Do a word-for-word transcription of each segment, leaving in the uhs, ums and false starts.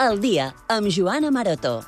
El dia, amb Joana Maroto.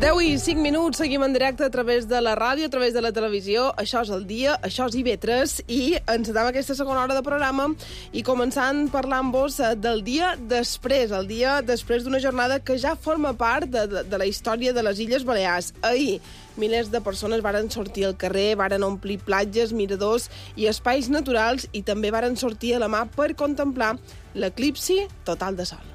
deu i cinc minuts, seguim en directe a través de la ràdio, a través de la televisió. Això és El dia, això és I V tres, i encetem aquesta segona hora de programa i començant parlant-vos del dia després, el dia després d'una jornada que ja forma part de, de, de la història de les Illes Balears. Ahir, milers de persones varen sortir al carrer, varen omplir platges, miradors i espais naturals i també varen sortir a la mà per contemplar l'eclipsi total de sol.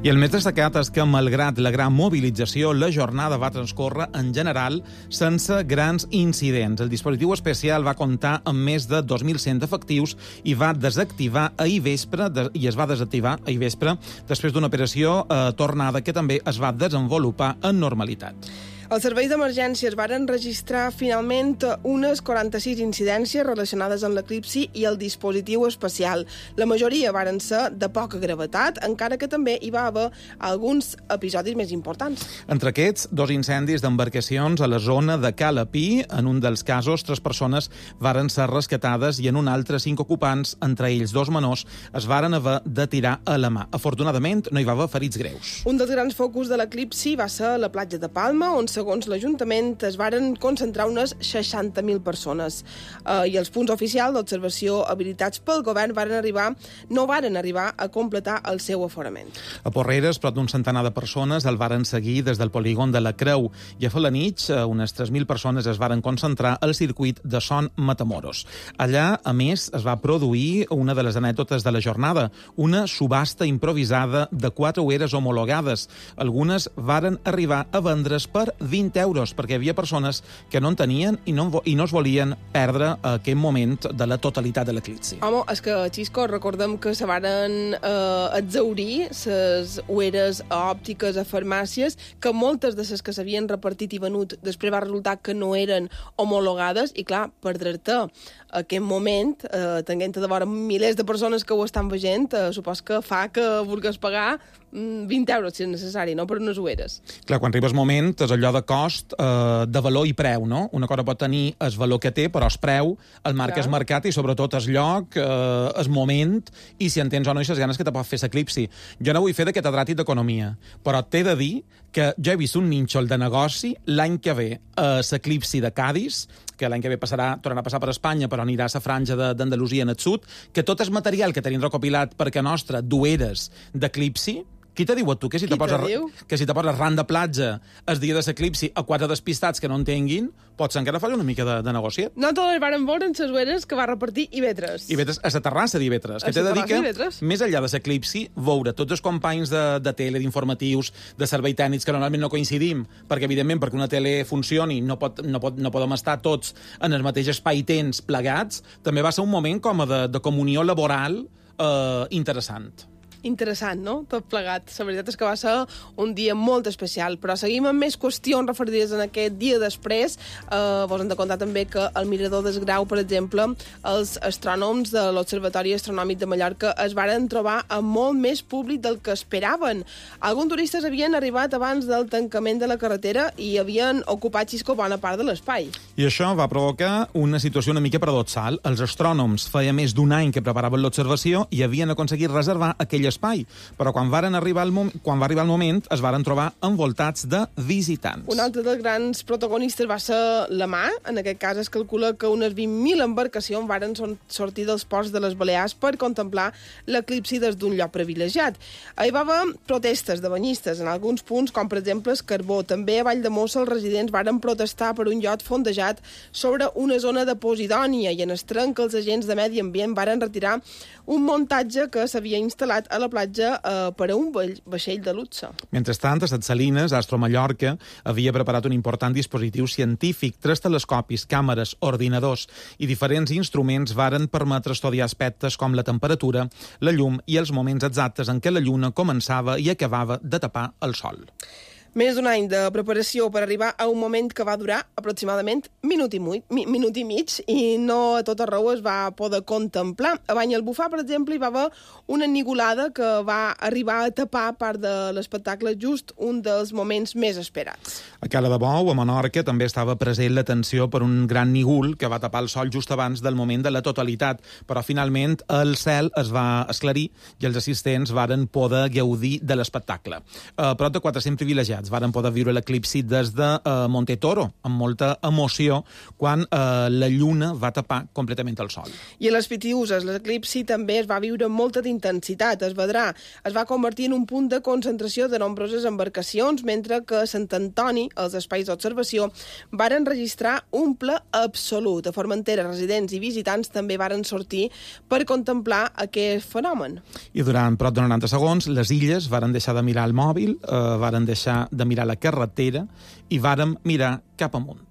I el més destacat és que, malgrat la gran mobilització, la jornada va transcórrer, en general, sense grans incidents. El dispositiu especial va comptar amb més de dos mil cent efectius i va desactivar ahir vespre, de, i es va desactivar ahir vespre, després d'una operació eh, tornada que també es va desenvolupar en normalitat. Els serveis d'emergències varen registrar finalment unes quaranta-sis incidències relacionades amb l'eclipsi i el dispositiu especial. La majoria varen ser de poca gravetat, encara que també hi va haver alguns episodis més importants. Entre aquests, dos incendis d'embarcacions a la zona de Calapí. En un dels casos, tres persones varen ser rescatades i en un altre, cinc ocupants, entre ells dos menors, es varen haver de tirar a la mà. Afortunadament, no hi va haver ferits greus. Un dels grans focus de l'eclipsi va ser la platja de Palma, on segons l'Ajuntament, es varen concentrar unes seixanta mil persones. Uh, I els punts oficials d'observació habilitats pel govern varen arribar, no varen arribar a completar el seu aforament. A Porreres, prop d'un centenar de persones el varen seguir des del polígon de la Creu. I a Felanitx, unes tres mil persones es varen concentrar al circuit de Son Matamoros. Allà, a més, es va produir una de les anècdotes de la jornada, una subhasta improvisada de quatre oeres homologades. Algunes varen arribar a vendre's per vint euros, perquè hi havia persones que no en tenien i no, i no es volien perdre aquest moment de la totalitat de l'eclipsi. Home, és que, Xisco, recordem que se varen eh, exhaurir les oeres òptiques a farmàcies, que moltes de les que s'havien repartit i venut després va resultar que no eren homologades, i clar, perdre-te aquest moment, eh, tenint de vora milers de persones que ho estan veient, eh, supos que fa que vulguis pagar vint euros, si és necessari, no?, per unes oeres. Clar, quan arribes moment, és allò de cost, eh, de valor i preu, no? Una cosa pot tenir el valor que té, però el preu, el marc és marcat i sobretot el lloc, eh, el moment, i si entens o no i les ganes que te pot fer l'eclipsi. Jo no vull fer de catedràtic d'economia, però t'he de dir que jo he vist un nínxol de negoci l'any que ve a l'eclipsi de Cadis, que l'any que ve passarà, tornarà a passar per Espanya, però anirà a la franja d'Andalusia en el sud, que tot el material que tenim recopilat perquè nostre d'oeres d'eclipsi, qui te diu a tu que si te poses que si te poses ran de platja el dia de l'eclipsi a quatre despistats que no entenguin, potser encara fa una mica de, de negociet. No totes varen veure en les oeres que va repartir I V tres. I V tres a la terrassa d'I V tres. Que t'he de dir que, més enllà de l'eclipsi, veure tots els companys de, de tele, d'informatius, de servei tècnics, que normalment no coincidim, perquè, evidentment, perquè una tele funcioni no, pot, no, pot, no podem estar tots en el mateix espai-temps plegats, també va ser un moment com a de, de comunió laboral eh, interessant. interessant, no?, tot plegat. La veritat és que va ser un dia molt especial, però seguim amb més qüestions referides en aquest dia després. Eh, vos hem de contar també que al Mirador del Grau, per exemple, els astrònoms de l'Observatori Astronòmic de Mallorca es varen trobar amb molt més públic del que esperaven. Alguns turistes havien arribat abans del tancament de la carretera i havien ocupat, Xisco, bona part de l'espai. I això va provocar una situació una mica paradoxal. Els astrònoms feia més d'un any que preparaven l'observació i havien aconseguit reservar aquell espai, però quan, varen arribar el mom quan va arribar el moment es varen trobar envoltats de visitants. Un altre dels grans protagonistes va ser la mar. En aquest cas es calcula que unes vint mil embarcacions varen sortir dels ports de les Balears per contemplar l'eclipsi des d'un lloc privilegiat. Hi va haver protestes de banyistes en alguns punts, com per exemple el Carbó. També a Valldemossa els residents varen protestar per un llot fondejat sobre una zona de Posidònia i en Estrenc els agents de Medi Ambient varen retirar un muntatge que s'havia instal·lat a la platja eh, per a un vaixell de luxe. Mentrestant, a Set Salines, Astro Mallorca havia preparat un important dispositiu científic. Tres telescopis, càmeres, ordinadors i diferents instruments varen permetre estudiar aspectes com la temperatura, la llum i els moments exactes en què la lluna començava i acabava de tapar el sol. Més d'un any de preparació per arribar a un moment que va durar aproximadament minut i, muy, mi, minut i mig i no a tot arreu es va poder contemplar. A Banyalbufar, per exemple, hi va haver una nigulada que va arribar a tapar part de l'espectacle, just un dels moments més esperats. A Cala de Bou, a Menorca, també estava present l'atenció per un gran nígul que va tapar el sol just abans del moment de la totalitat, però finalment el cel es va esclarir i els assistents varen poder gaudir de l'espectacle. A prop de quatre-cents privilegiats varen poder viure l'eclipsi des de uh, Montetoro, amb molta emoció, quan uh, la lluna va tapar completament el sol. I a les Pitiuses, l'eclipsi també es va viure amb molta intensitat. Es vedrà, es va convertir en un punt de concentració de nombroses embarcacions, mentre que a Sant Antoni, els espais d'observació, varen registrar un ple absolut. A Formentera, residents i visitants també varen sortir per contemplar aquest fenomen. I durant prop de noranta segons, les illes varen deixar de mirar el mòbil, uh, varen deixar de mirar la carretera i vàrem mirar cap amunt.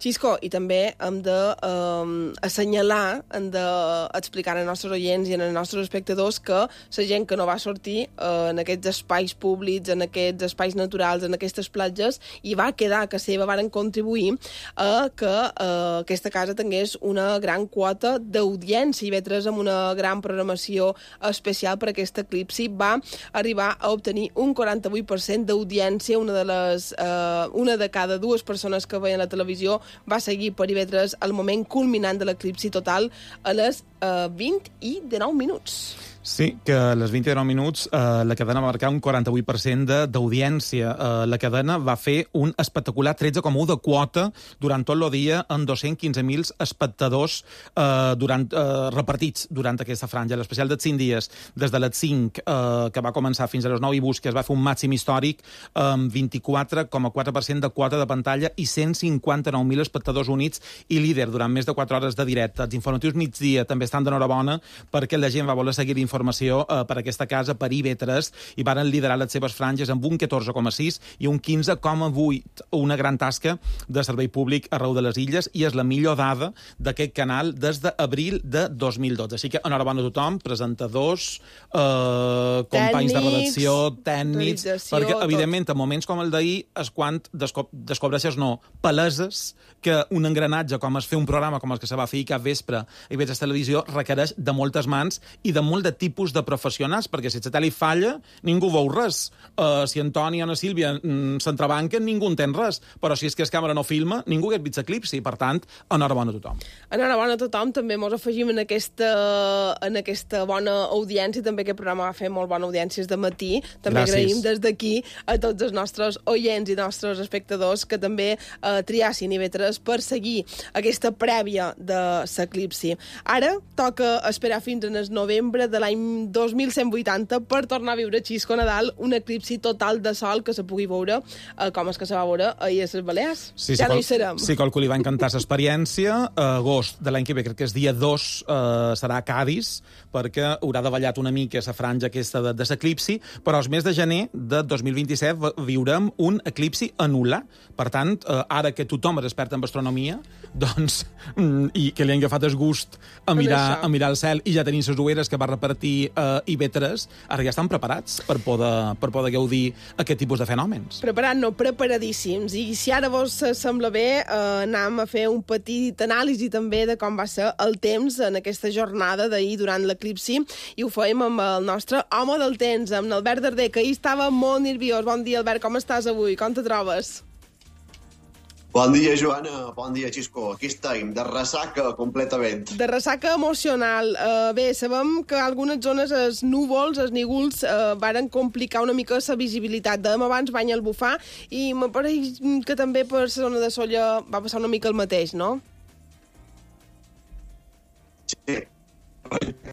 Xisco, i també hem d'assenyalar, um, hem d'explicar als nostres oients i als nostres espectadors que la gent que no va sortir uh, en aquests espais públics, en aquests espais naturals, en aquestes platges, i va quedar a casa seva, varen contribuir a que uh, aquesta casa tingués una gran quota d'audiència i vetres amb una gran programació especial per aquest eclipsi. Va arribar a obtenir un quaranta-vuit per cent d'audiència, una de les uh, una de cada dues persones que veien la televisió va seguir per I V tres el moment culminant de l'eclipsi total a les eh, vint i dinou minuts. Sí, que a les vint i dinou minuts eh, la cadena va marcar un quaranta-vuit per cent d'audiència. Eh, la cadena va fer un espectacular tretze coma u de quota durant tot el dia amb dos-cents quinze mil espectadors eh, durant, eh, repartits durant aquesta franja. L'especial dels cinc dies, des de les cinc, eh, que va començar fins a les nou i busques, es va fer un màxim històric amb vint-i-quatre coma quatre per cent de quota de pantalla i cent cinquanta-nou mil espectadors units i líder durant més de quatre hores de directe. Els informatius migdia també estan d'enhorabona perquè la gent va voler seguir informació eh, per aquesta casa, per I V tres, i varen liderar les seves franges amb un catorze coma sis i un quinze coma vuit. Una gran tasca de servei públic arreu de les illes i és la millor dada d'aquest canal des d'abril de dos mil dotze. Així que enhorabona a tothom, presentadors, eh, companys de redacció, tècnics, perquè, evidentment, en moments com el d'ahir és quan desco descobreixes, no, paleses que un engranatge com es fer un programa com el que se va fer cap vespre a I V tres Televisió requereix de moltes mans i de molt de tipus de professionals, perquè si el satèl·lit falla, ningú veu res. Uh, si Antoni o Ana Sílvia mm, s'entrebanquen, ningú entén res. Però si és que el càmera no filma, ningú hagués vist l'eclipsi. Per tant, enhorabona a tothom. Enhorabona a tothom. També ens afegim en aquesta, en aquesta bona audiència. També aquest programa va fer molt bona audiència de matí. També Gràcies. Agraïm des d'aquí a tots els nostres oients i nostres espectadors que també eh, triassin I V tres per seguir aquesta prèvia de l'eclipsi. Ara toca esperar fins en el novembre de l'any dos mil cent vuitanta per tornar a viure Xisco Nadal, un eclipsi total de sol que se pugui veure eh, com és que se va veure ahir a les Balears. Sí, ja sí, no hi serem. Sí, qualcú li va encantar l'experiència. A agost de l'any que ve, crec que és dia dos, eh, serà a Cádiz, perquè haurà davallat una mica la franja aquesta de, de l'eclipsi, però el mes de gener de dos mil vint-i-set viurem un eclipsi anular. Per tant, eh, ara que tothom és expert en astronomia, doncs, i que li han agafat el gust a mirar, a mirar el cel i ja tenim les ulleres que va repartir Martí eh, i B tres ara ja estan preparats per poder, per poder gaudir aquest tipus de fenòmens. Preparat, no, preparadíssims. I si ara vos sembla bé, eh, anem a fer un petit anàlisi també de com va ser el temps en aquesta jornada d'ahir durant l'eclipsi, i ho fèiem amb el nostre home del temps, amb l'Albert Darder, que ahir estava molt nerviós. Bon dia, Albert, com estàs avui? Com te trobes? Bon dia, Joana. Bon dia, Xisco. Aquí estem, de ressaca completament. De ressaca emocional. Uh, bé, sabem que algunes zones els núvols, els nígols, uh, varen complicar una mica la visibilitat. Dèiem abans bany al bufar, i me pareix que també per la zona de Sóller va passar una mica el mateix, no? Sí,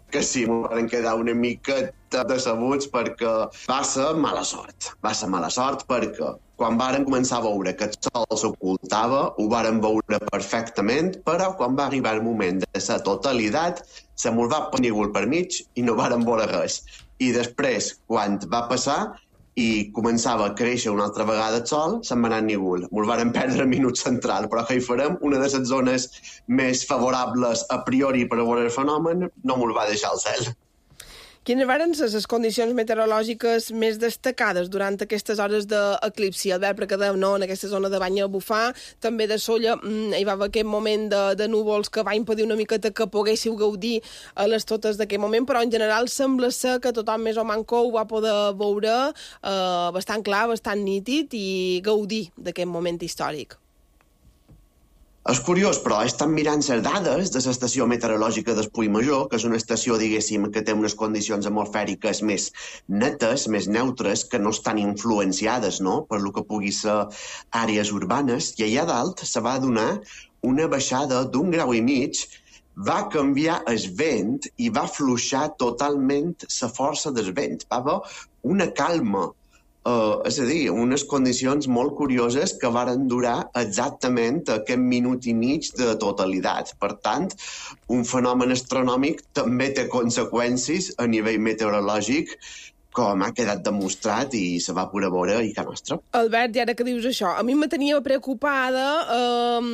que sí, m'ho van quedar una miqueta decebuts perquè va ser mala sort. Va ser mala sort perquè quan varen començar a veure que el sol s'ocultava, ho varen veure perfectament, però quan va arribar el moment de la totalitat, se mos va penir-ho per mig i no varen veure res. I després, quan va passar i començava a créixer una altra vegada el sol, se'n va anar ningú. Mos varen perdre el minut central, però què hi farem? Una de les zones més favorables a priori per a veure el fenomen no mos va deixar el cel. Quines varen ser les condicions meteorològiques més destacades durant aquestes hores d'eclipsi? Albert, perquè dèiem, no, en aquesta zona de bany a bufar, també de Sóller, hi va haver aquest moment de, de núvols que va impedir una miqueta que poguéssiu gaudir a les totes d'aquest moment, però en general sembla ser que tothom més o manco ho va poder veure eh, bastant clar, bastant nítid, i gaudir d'aquest moment històric. És curiós, però estan mirant les dades de l'estació meteorològica d'Espull Major, que és una estació, diguéssim, que té unes condicions atmosfèriques més netes, més neutres, que no estan influenciades, no?, per lo que pugui ser àrees urbanes, i allà dalt se va donar una baixada d'un grau i mig, va canviar el vent i va fluixar totalment la força del vent. Va haver una calma. Uh, és a dir, unes condicions molt curioses que varen durar exactament aquest minut i mig de totalitat. Per tant, un fenomen astronòmic també té conseqüències a nivell meteorològic, com ha quedat demostrat i se va poder veure i que nostra. Albert, i ara que dius això, a mi me tenia preocupada eh,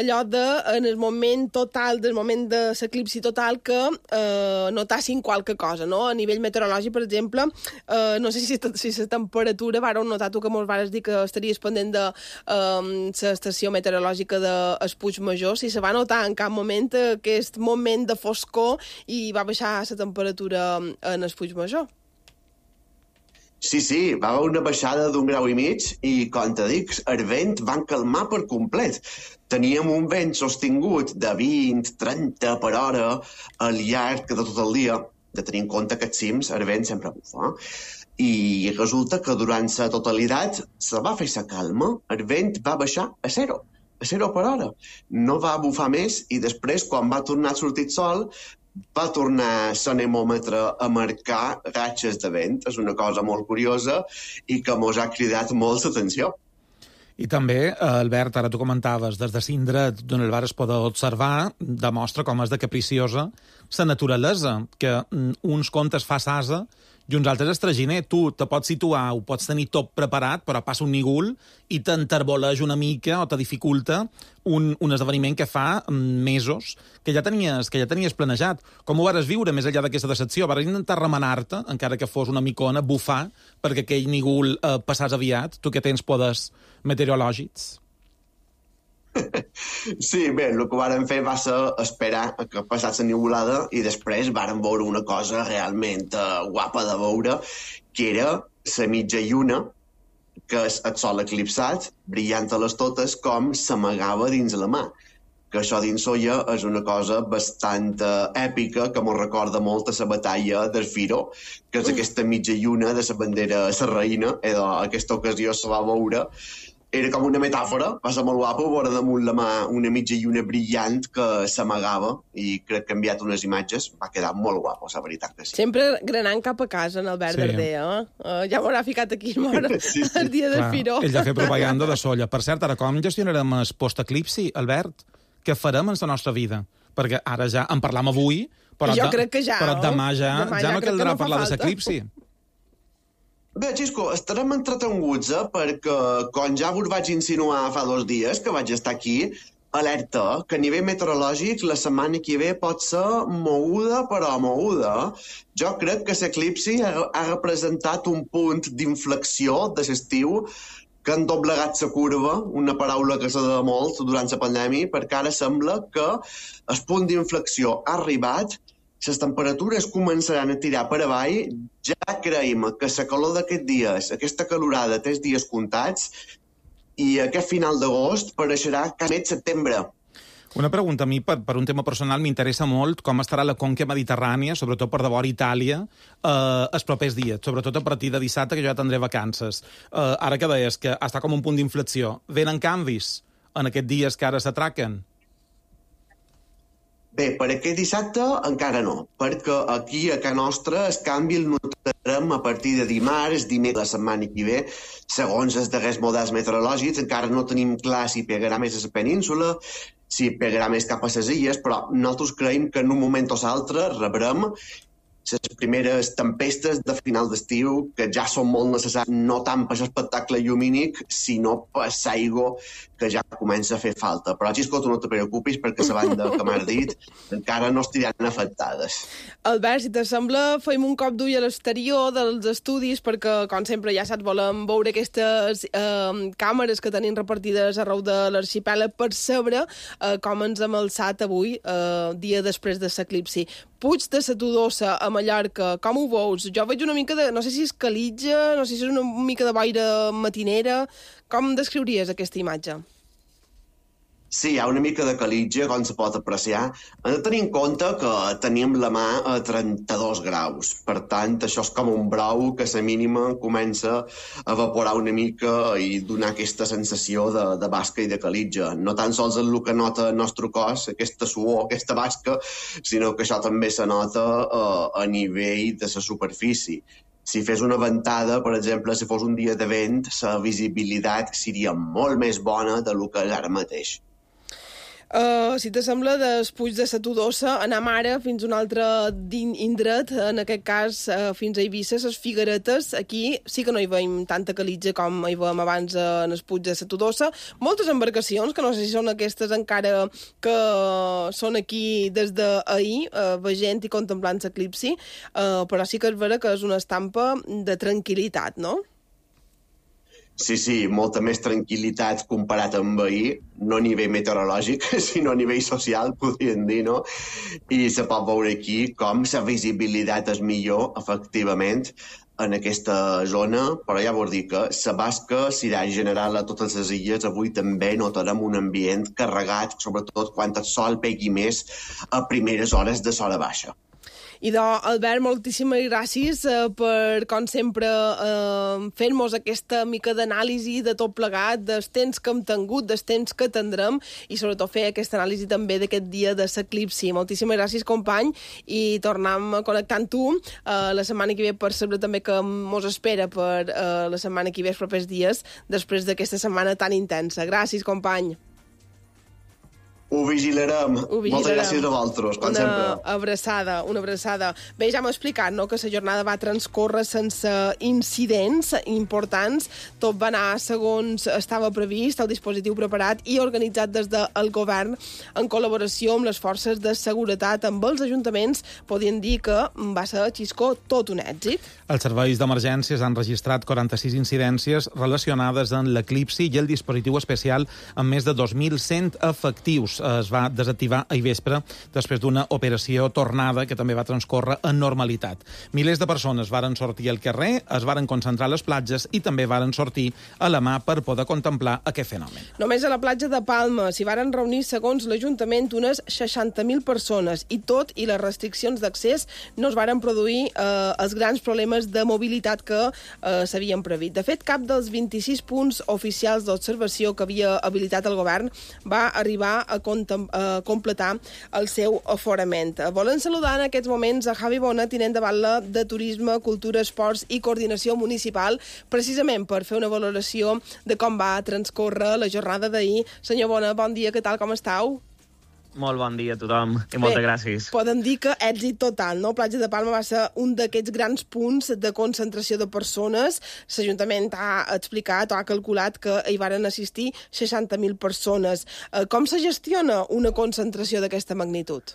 allò de, en el moment total, del moment de l'eclipsi total, que eh, notassin qualque cosa, no? A nivell meteorològic, per exemple, eh, no sé si si la temperatura, vareu notar tu que molts vares dir que estaries pendent de l'estació eh, meteorològica d'Espuig Major, si se va notar en cap moment aquest moment de foscor i va baixar la temperatura en Espuig Major. Sí, sí, va haver una baixada d'un grau i mig i, com te dic, el vent van calmar per complet. Teníem un vent sostingut de vint a trenta per hora al llarg de tot el dia, de tenir en compte que als cims el vent sempre bufa. I resulta que durant la totalitat se va fer la calma, el vent va baixar a zero, a zero per hora. No va bufar més i després, quan va tornar a sortir el sol, va tornar l'anemòmetre a marcar ratxes de vent. És una cosa molt curiosa i que mos ha cridat molt l'atenció. I també, Albert, ara tu comentaves, des de l'indret d'on el vares poder observar, demostra com és de capriciosa la naturalesa, que uns contes fa s'asa i uns altres estraginer. Tu te pots situar, ho pots tenir tot preparat, però passa un nígol i t'enterboleix una mica o te dificulta un, un esdeveniment que fa mesos que ja tenies, que ja tenies planejat. Com ho vares viure més enllà d'aquesta decepció? Vares intentar remenar-te, encara que fos una micona, bufar, perquè aquell nígol eh, passàs aviat, tu que tens poders meteorològics? Sí, bé, el que vàrem fer va ser esperar que passés la nivolada i després vàrem veure una cosa realment uh, guapa de veure, que era la mitja lluna, que és el sol eclipsat, brillant a les totes, com s'amagava dins la mà. Que això dins Sóller és una cosa bastant uh, èpica, que m'ho recorda molt a la batalla del Firó, que és aquesta mitja lluna de la bandera sarraïna, i d'aquesta ocasió se va veure. Era com una metàfora, va ser molt guapo, veure damunt la mà una mitja lluna brillant que s'amagava, i crec que ha enviat unes imatges, va quedar molt guapo, la veritat que sí. Sempre granant cap a casa, en Albert sí. Darder, eh? Uh, ja m'haurà ficat aquí mort sí, sí. El dia del Firó. Ell ja ha fet propaganda de Sóller. Per cert, ara com gestionarem el post-eclipsi, Albert? Què farem en la nostra vida? Perquè ara ja en parlam avui, però, jo de, crec que ja, però demà ja, demà ja, ja no caldrà no parlar de l'eclipsi. Bé, Xisco, estarem entretenguts, eh? Perquè, com ja vos vaig insinuar fa dos dies que vaig estar aquí, alerta que a nivell meteorològic la setmana que ve pot ser moguda però moguda. Jo crec que l'eclipsi ha, ha representat un punt d'inflexió de l'estiu que han doblegat la curva, una paraula que s'ha de molt durant la pandèmia, perquè ara sembla que el punt d'inflexió ha arribat, les temperatures començaran a tirar per avall, ja creiem que la calor d'aquests dies, aquesta calorada té els dies comptats, i aquest final d'agost pareixerà quasi mig setembre. Una pregunta a mi, per, per un tema personal, m'interessa molt com estarà la conca mediterrània, sobretot per devora Itàlia, eh, els propers dies, sobretot a partir de dissabte, que jo ja tindré vacances. Eh, ara que deies que està com un punt d'inflexió, venen canvis en aquests dies que ara s'atraquen? Bé, per aquest dissabte encara no, perquè aquí a casa nostra el canvi el notarem a partir de dimarts, dimecres la setmana que ve, segons els darrers models meteorològics. Encara no tenim clar si pegarà més a la península, si pegarà més cap a les illes, però nosaltres creiem que en un moment o l'altre rebrem les primeres tempestes de final d'estiu, que ja són molt necessàries, no tant per l'espectacle llumínic, sinó per l'aigua, que ja comença a fer falta. Però, Xisco, tu no te preocupis, perquè la banda que m'has dit encara no estiran afectades. Albert, si t'assembla, fem un cop d'ull a l'exterior dels estudis, perquè, com sempre, ja saps, volem veure aquestes eh, càmeres que tenim repartides arreu de l'arxipèlag per saber eh, com ens hem alçat avui, eh, dia després de l'eclipsi. Puig de la Todosa, a Mallorca, com ho veus? Jo veig una mica de... no sé si és calitja, no sé si és una mica de boira matinera. Com descriuries aquesta imatge? Sí, hi ha una mica de calitja, com se pot apreciar. Hem de tenir en compte que tenim la mà a trenta-dos graus. Per tant, això és com un brou que a la mínima comença a evaporar una mica i donar aquesta sensació de, de basca i de calitja. No tan sols el que nota el nostre cos, aquesta suor, aquesta basca, sinó que això també se nota uh, a nivell de la superfície. Si fes una ventada, per exemple, si fos un dia de vent, la visibilitat seria molt més bona del que és ara mateix. Uh, si t'assembla, del Puig de la Todosa anem ara fins a un altre indret, en aquest cas uh, fins a Eivissa, les Figueretes. Aquí sí que no hi veiem tanta calitja com hi veiem abans en el Puig de la Todosa. Moltes embarcacions, que no sé si són aquestes encara que són aquí des d'ahir, uh, veient i contemplant l'eclipsi, uh, però sí que és vera que és una estampa de tranquil·litat, no? Sí, sí, molta més tranquil·litat comparat amb ahir, no a nivell meteorològic, sinó a nivell social, podríem dir, no? I se pot veure aquí com la visibilitat és millor, efectivament, en aquesta zona, però ja vol dir que la basca serà general a totes les illes. Avui també notarem un ambient carregat, sobretot quan el sol pegui més a primeres hores de l'hora baixa. Idò, Albert, moltíssimes gràcies eh, per, com sempre, eh, fer-nos aquesta mica d'anàlisi de tot plegat, dels temps que hem tingut, dels temps que tindrem, i sobretot fer aquesta anàlisi també d'aquest dia de l'eclipsi. Moltíssimes gràcies, company, i tornem a connectar amb tu eh, la setmana que ve per saber també que mos espera per eh, la setmana que ve, els propers dies, després d'aquesta setmana tan intensa. Gràcies, company. Ho vigilarem. Ho vigilarem. Moltes gràcies a vosaltres, com una sempre. Una abraçada, una abraçada. Bé, ja m'ho explicat, no?, que la jornada va transcórrer sense incidents importants. Tot va anar segons estava previst, el dispositiu preparat i organitzat des del govern en col·laboració amb les forces de seguretat, amb els ajuntaments. Podien dir que va ser, Xisco, tot un èxit. Els serveis d'emergències han registrat quaranta-sis incidències relacionades amb l'eclipsi i el dispositiu especial amb més de dos mil cent efectius. Es va desactivar ahir vespre després d'una operació tornada que també va transcórrer en normalitat. Milers de persones varen sortir al carrer, es varen concentrar a les platges i també varen sortir a la mà per poder contemplar aquest fenomen. Només a la platja de Palma s'hi varen reunir, segons l'Ajuntament, unes seixanta mil persones, i tot i les restriccions d'accés no es varen produir eh, els grans problemes de mobilitat que eh, s'havien previst. De fet, cap dels vint-i-sis punts oficials d'observació que havia habilitat el govern va arribar a a completar el seu aforament. Volen saludar en aquests moments a Javi Bona, tinent de batlle de Turisme, Cultura, Esports i Coordinació Municipal, precisament per fer una valoració de com va transcórrer la jornada d'ahir. Senyor Bona, bon dia, què tal, com estàu? Molt bon dia a tothom i moltes Bé, gràcies. Podem dir que èxit total, no? Platja de Palma va ser un d'aquests grans punts de concentració de persones. L'Ajuntament ha explicat o ha calculat que hi varen assistir seixanta mil persones. Com se gestiona una concentració d'aquesta magnitud?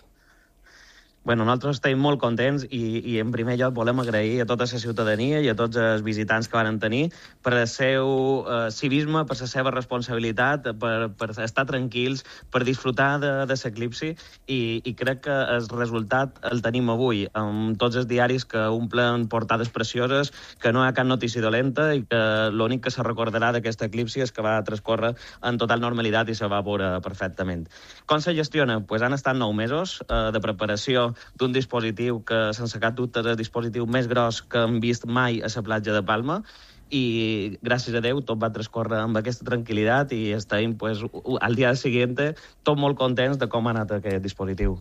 Bueno, nosaltres estem molt contents i, i en primer lloc volem agrair a tota la ciutadania i a tots els visitants que van tenir per el seu eh, civisme, per la seva responsabilitat, per, per estar tranquils, per disfrutar de, de l'eclipsi i, i crec que el resultat el tenim avui, amb tots els diaris que omplen portades precioses, que no hi ha cap notícia dolenta i que l'únic que se recordarà d'aquest eclipsi és que va transcórrer en total normalitat i se va veure perfectament. Com se gestiona? Pues han estat nou mesos eh, de preparació d'un dispositiu que, sense cap dubte, és el dispositiu més gros que hem vist mai a la platja de Palma i, gràcies a Déu, tot va transcórrer amb aquesta tranquil·litat i estem, pues, al dia següent tot molt contents de com ha anat aquest dispositiu.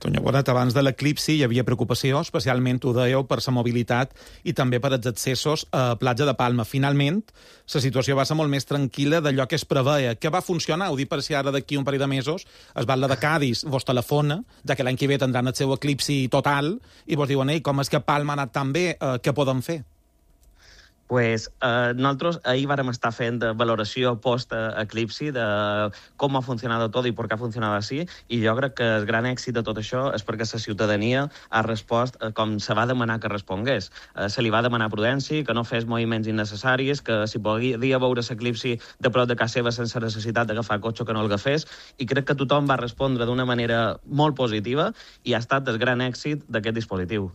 Tonya Bonet, abans de l'eclipsi hi havia preocupació, especialment, ho dèieu, per la mobilitat i també per els accessos a platja de Palma. Finalment, la situació va ser molt més tranquil·la d'allò que es preveia. Què va funcionar? Ho dic per si ara d'aquí un parell de mesos es va la de Cádiz, vos telefona, ja que l'any que ve tindran el seu eclipsi total, i vos diuen, ei, com és que Palma ha anat tan bé, eh, què podem fer? Pues, eh, nosaltres ahir vàrem estar fent valoració post-eclipsi de com ha funcionat tot i per què ha funcionat així, i jo crec que el gran èxit de tot això és perquè la ciutadania ha respost eh, com se va demanar que respongués. Eh, se li va demanar prudència, que no fes moviments innecessaris, que si podia veure l'eclipsi de prop de casa seva sense necessitat d'agafar cotxe, que no el agafés, i crec que tothom va respondre d'una manera molt positiva i ha estat el gran èxit d'aquest dispositiu.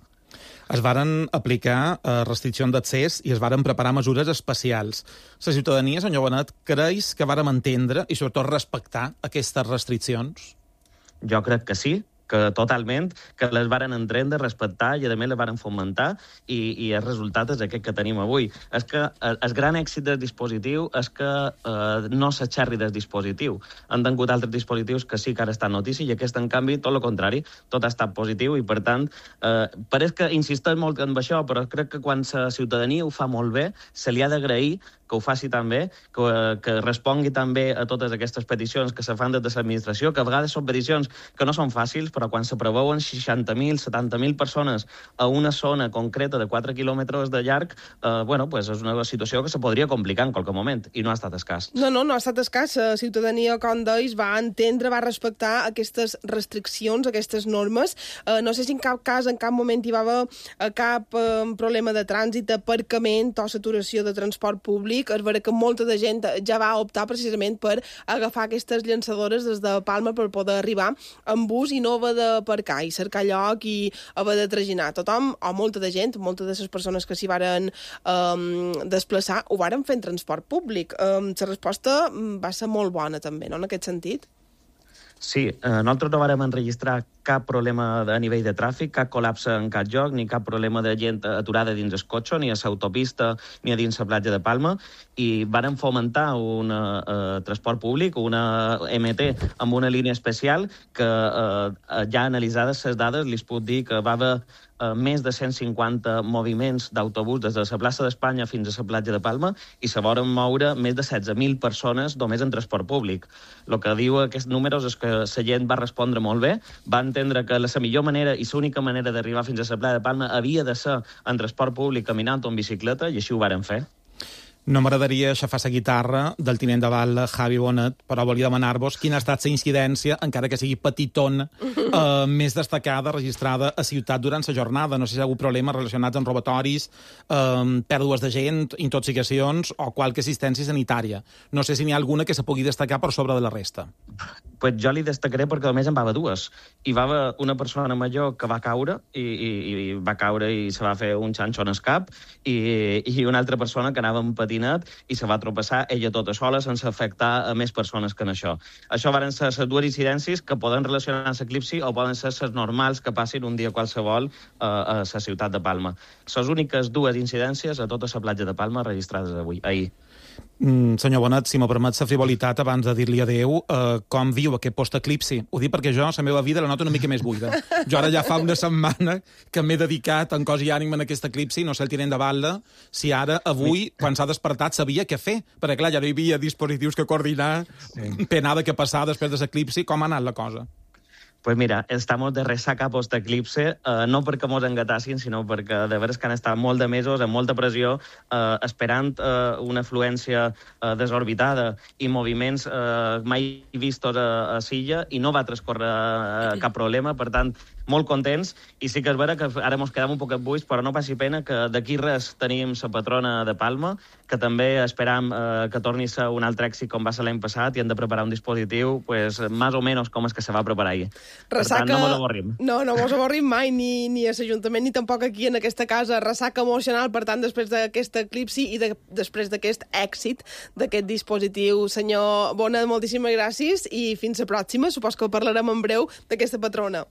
Es varen aplicar eh, restriccions d'accés i es varen preparar mesures especials. La ciutadania, senyor Bonet, creus que vàrem entendre i sobretot respectar aquestes restriccions? Jo crec que sí, que totalment, que les varen entendre, respectar i a més les varen fomentar i, i el resultat és aquest que tenim avui. És que el, el gran èxit del dispositiu és que eh, no s'aixerri del dispositiu. Han tingut altres dispositius que sí que ara estan notícia i aquest, en canvi, tot el contrari, tot ha estat positiu i, per tant, eh, pareix que insisteix molt en això, però crec que quan la ciutadania ho fa molt bé, se li ha d'agrair que ho faci també, que, que respongui també a totes aquestes peticions que se fan des de l'administració, que a vegades són peticions que no són fàcils, però quan se preveuen seixanta mil, setanta mil persones a una zona concreta de quatre quilòmetres de llarg, eh, bueno, pues és una situació que se podria complicar en qualque moment, i no ha estat escàs. No, no, no ha estat escàs. La ciutadania, com deis, va entendre, va respectar aquestes restriccions, aquestes normes. Eh, no sé si en cap cas, en cap moment hi va haver eh, cap eh, problema de trànsit, aparcament o saturació de transport públic. És vera que molta de gent ja va optar precisament per agafar aquestes llançadores des de Palma per poder arribar en bus i no haver d'aparcar i cercar lloc i haver de traginar. Tothom, o molta de gent, moltes de les persones que s'hi varen um, desplaçar, ho varen fer en transport públic. Um, la resposta va ser molt bona també, no?, en aquest sentit. Sí, eh, nosaltres no vàrem enregistrar cap problema a nivell de tràfic, cap col·lapse en cap lloc, ni cap problema de gent aturada dins el cotxe, ni a l'autopista, ni a dins la platja de Palma, i vàrem fomentar un eh, transport públic, una M T, amb una línia especial que eh, ja analitzades les dades, li puc dir que va haver eh, més de cent cinquanta moviments d'autobús des de la plaça d'Espanya fins a la platja de Palma i se volen moure més de setze mil persones només en transport públic. El que diu aquests números és que la gent va respondre molt bé, va entendre que la millor manera i l'única manera d'arribar fins a la platja de Palma havia de ser en transport públic, caminant o en bicicleta, i així ho varen fer. No m'agradaria aixafar la guitarra del tinent de bala Javi Bonet, però volia demanar-vos quina ha estat la incidència, encara que sigui petitona, eh, més destacada, registrada a ciutat durant la jornada. No sé si hi ha hagut problemes relacionats amb robatoris, eh, pèrdues de gent, intoxicacions o qualque assistència sanitària. No sé si n'hi ha alguna que se pugui destacar per sobre de la resta. Pues jo li destacaré perquè, a més, en va haver dues. Hi va haver una persona major que va caure i, i, i va caure i se va fer un xanxo en el cap i, i una altra persona que anava en patinet i se va tropeçar ella tota sola sense afectar a més persones que en això. Això van ser les dues incidències que poden relacionar amb l'eclipsi o poden ser les normals que passin un dia qualsevol a, a la ciutat de Palma. Les úniques dues incidències a tota la platja de Palma registrades avui, ahir. Mm, senyor Bonet, si m'ho permet la frivolitat abans de dir-li adeu, eh, com viu aquest post-eclipsi? Ho dic perquè jo, la meva vida, la noto una mica més buida. Jo ara ja fa una setmana que m'he dedicat en cos i ànima en aquest eclipsi, no sé el tinent de bala, si ara, avui, quan s'ha despertat, sabia què fer. Perquè, clar, ja no hi havia dispositius que coordinar, sí. Penada que passar després de l'eclipsi, com ha anat la cosa? Pues mira, estamos de ressaca post-eclipse, eh, no perquè mos engatassin, sinó perquè de veres que han estat molt de mesos, amb molta pressió, eh, esperant eh, una afluència eh, desorbitada i moviments eh, mai vistos a, a Silla, i no va transcorrer eh, cap problema, per tant, molt contents, i sí que és vera que ara mos quedam un poquet buits, però no passi pena que d'aquí res tenim la patrona de Palma, que també esperam eh, que torni a ser un altre èxit com va ser l'any passat, i hem de preparar un dispositiu, pues, més o menys com és que se va preparar ahir. Ressaca... Per tant, no mos avorrim. No, no mos avorrim mai, ni, ni a l'Ajuntament, ni tampoc aquí en aquesta casa. Ressaca emocional, per tant, després d'aquest eclipsi i de, després d'aquest èxit d'aquest dispositiu. Senyor Bona, moltíssimes gràcies i fins la pròxima. Supos que parlarem en breu d'aquesta patrona.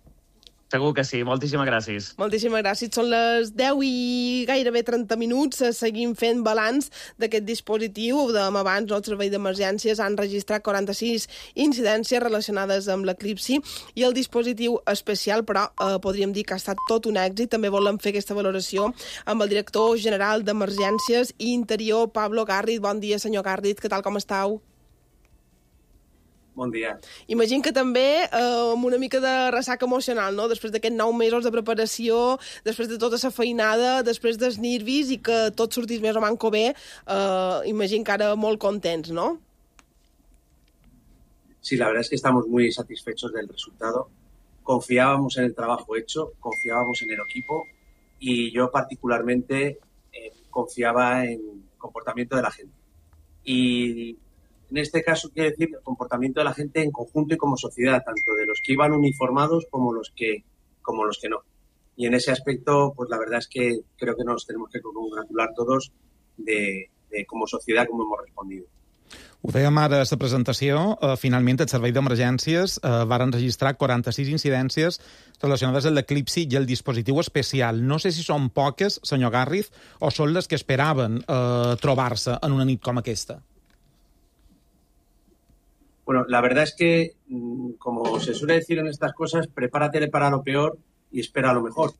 Segur que sí. Moltíssimes gràcies. Moltíssimes gràcies. Són les deu i gairebé trenta minuts. Seguim fent balanç d'aquest dispositiu. Ho dèiem abans, el servei d'emergències han registrat quaranta-sis incidències relacionades amb l'eclipsi i el dispositiu especial, però eh, podríem dir que ha estat tot un èxit. També volem fer aquesta valoració amb el director general d'Emergències i Interior, Pablo Garrit. Bon dia, senyor Garrit. Què tal, com estàu? Bon dia. Imagino que també eh, amb una mica de ressaca emocional, no? Després d'aquests nou mesos de preparació, després de tota la feinada, després dels nervis i que tot sortís més o manco bé, eh, imagino que ara molt contents, ¿no? Sí, la verdad es que estamos muy satisfechos del resultado. Confiábamos en el trabajo hecho, confiábamos en el equipo y yo particularmente eh, confiaba en el comportamiento de la gente. Y en este caso quiere decir el comportamiento de la gente en conjunto y como sociedad, tanto de los que iban uniformados como los que, como los que no. Y en ese aspecto, pues la verdad es que creo que nos tenemos que congratular todos de, de como sociedad cómo hemos respondido. Ho dèiem ara a la presentació, eh, finalment el Servei d'Emergències eh, va registrar quaranta-sis incidències relacionades amb l'eclipsi i el dispositiu especial. No sé si són poques, senyor Garrit, o són les que esperaven eh, trobar-se en una nit com aquesta. Bueno, la verdad es que, como se suele decir en estas cosas, prepárate para lo peor y espera lo mejor.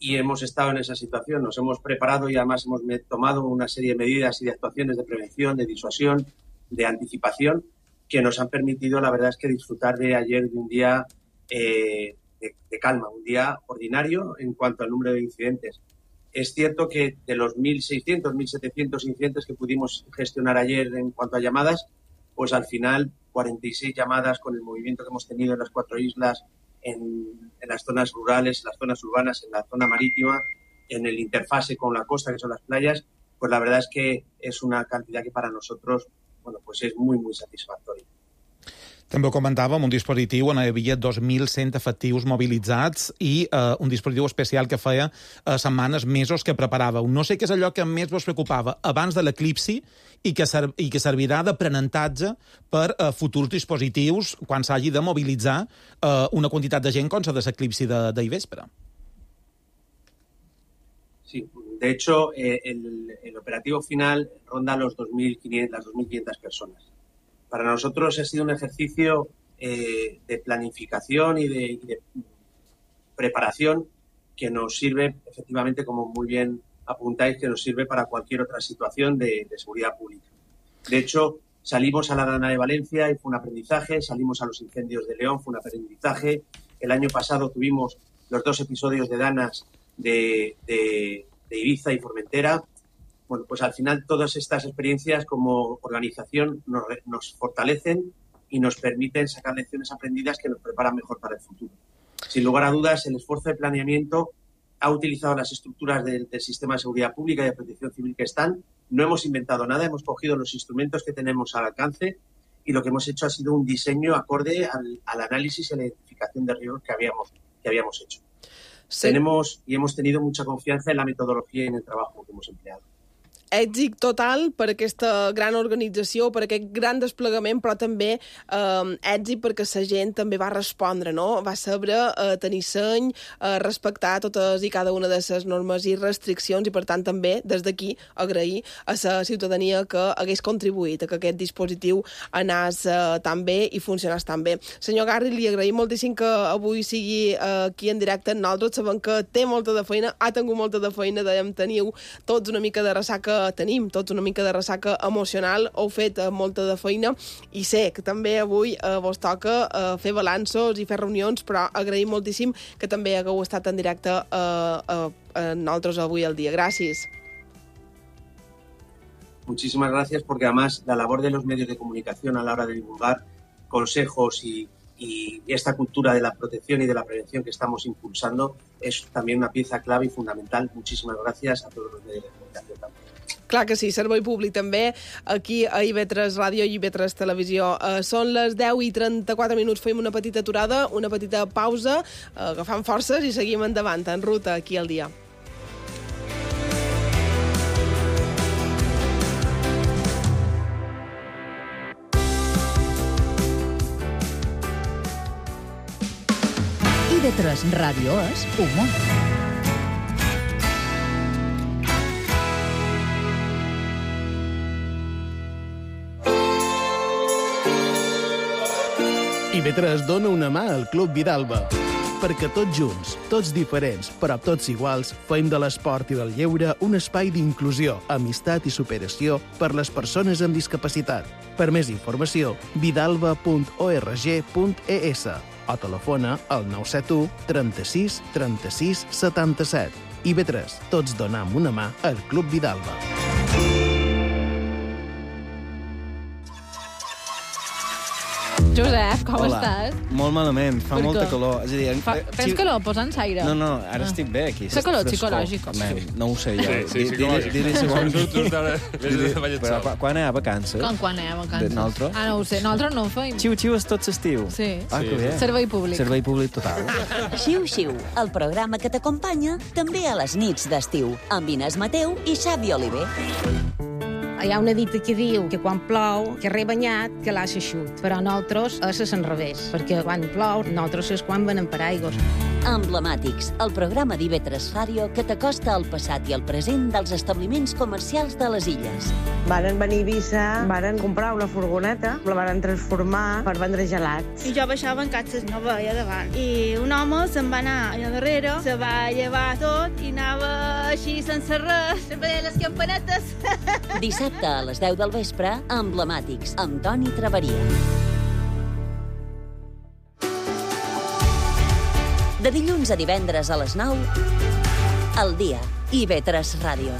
Y hemos estado en esa situación, nos hemos preparado y además hemos tomado una serie de medidas y de actuaciones de prevención, de disuasión, de anticipación, que nos han permitido, la verdad es que disfrutar de ayer de un día eh, de, de calma, un día ordinario en cuanto al número de incidentes. Es cierto que de los mil seiscientos, mil setecientos incidentes que pudimos gestionar ayer en cuanto a llamadas, pues al final cuarenta y seis llamadas con el movimiento que hemos tenido en las cuatro islas, en, en las zonas rurales, en las zonas urbanas, en la zona marítima, en el interfase con la costa, que son las playas, pues la verdad es que es una cantidad que para nosotros, bueno, pues es muy, muy satisfactoria. També ho comentàvem, un dispositiu on hi havia dos mil cent efectius mobilitzats i eh, un dispositiu especial que feia eh, setmanes, mesos que preparàveu. No sé què és allò que més vos preocupava abans de l'eclipsi i que, ser, i que servirà d'aprenentatge per eh, futurs dispositius quan s'hagi de mobilitzar eh, una quantitat de gent com la de l'eclipsi d'ahir vespre. Sí, de hecho, eh, el, el operativo final ronda los dos mil quinientas, las dos mil quinientas personas. Para nosotros ha sido un ejercicio eh, de planificación y de, y de preparación que nos sirve, efectivamente, como muy bien apuntáis, que nos sirve para cualquier otra situación de, de seguridad pública. De hecho, salimos a la Dana de Valencia y fue un aprendizaje, salimos a los incendios de León, fue un aprendizaje. El año pasado tuvimos los dos episodios de Danas de, de, de Ibiza y Formentera. Bueno, pues al final todas estas experiencias como organización nos, nos fortalecen y nos permiten sacar lecciones aprendidas que nos preparan mejor para el futuro. Sin lugar a dudas, el esfuerzo de planeamiento ha utilizado las estructuras del, del sistema de seguridad pública y de protección civil que están. No hemos inventado nada, hemos cogido los instrumentos que tenemos al alcance y lo que hemos hecho ha sido un diseño acorde al, al análisis y a la identificación de riesgos que habíamos, que habíamos hecho. Sí. Tenemos y hemos tenido mucha confianza en la metodología y en el trabajo que hemos empleado. Èxit total per aquesta gran organització, per aquest gran desplegament, però també eh, èxit perquè la gent també va respondre, no? Va saber eh, tenir seny, eh, respectar totes i cada una de les normes i restriccions i, per tant, també, des d'aquí, agrair a la ciutadania que hagués contribuït a que aquest dispositiu anés eh, tan bé i funcionés tan bé. Senyor Garrit, li agraïm moltíssim que avui sigui eh, aquí en directe amb nosaltres. Sabem que té molta de feina, ha tingut molta de feina, dèiem, teniu tots una mica de ressaca tenim tots una mica de ressaca emocional, heu fet uh, molta de feina i sé que també avui uh, vos toca uh, fer balanços i fer reunions, però agraïm moltíssim que també hagueu estat en directe uh, uh, en nosaltres avui al dia. Gràcies. Muchísimas gracias, porque además la labor de los medios de comunicación a la hora de divulgar consejos y Y esta cultura de la protección y de la prevención que estamos impulsando es también una pieza clave y fundamental. Muchísimas gracias a todos los medios de comunicación también. Clar que sí, servei públic també, aquí a I V tres Ràdio i I V tres Televisió. Uh, són les deu i trenta-quatre minuts, fem una petita aturada, una petita pausa, uh, agafant forces i seguim endavant, en ruta, aquí al dia. I V tres Ràdio és humor. I V tres dona una mà al Club Vidalba. Perquè tots junts, tots diferents, però tots iguals, fem de l'esport i del lleure un espai d'inclusió, amistat i superació per les persones amb discapacitat. Per més informació, vidalba punt org punt es o telefona al nou set u trenta-sis trenta-sis setanta-set. I V tres, tots donam una mà al Club Vidalba. Josep, com Hola. estàs? Molt malament, fa Per molta què? calor. És a dir, Fa, tens calor? Posa'ns aire. No, no, ara Ah. estic bé aquí. Fa calor Frescor. psicològic. Home, no ho sé jo. Sí, sí, Di- psicològic. Dir-li si vols... Dir-li- Però quan- quan hi ha vacances? Com quan anem a vacances? De nosaltres? Ah, no ho sé. Nosaltres no ho feim. Xiu-xiu és tot l'estiu. Sí. Ah, que bé. Servei públic. Servei públic total. Xiu-xiu, el programa que t'acompanya també a les nits d'estiu, amb Inés Mateu i Xavi Oliver. Hi ha una dita que diu que quan plou, que re banyat, que l'ha eixut. Però nosaltres és al revés, perquè quan plou, nosaltres és quan venem paraigües. Emblemàtics, el programa d'I V tres Ràdio que t'acosta al passat i al present dels establiments comercials de les illes. Varen venir a Eivissa, varen comprar una furgoneta, la varen transformar per vendre gelats. I jo baixava en catxes, no veia davant. I un home se'n va anar allà darrere, se va llevar tot i anava així sense res, sempre deia les campanetes. Dissabte a les deu del vespre, Emblemàtics, amb Toni Traveria. De dilluns a divendres a les nou, al dia, I V tres Ràdio.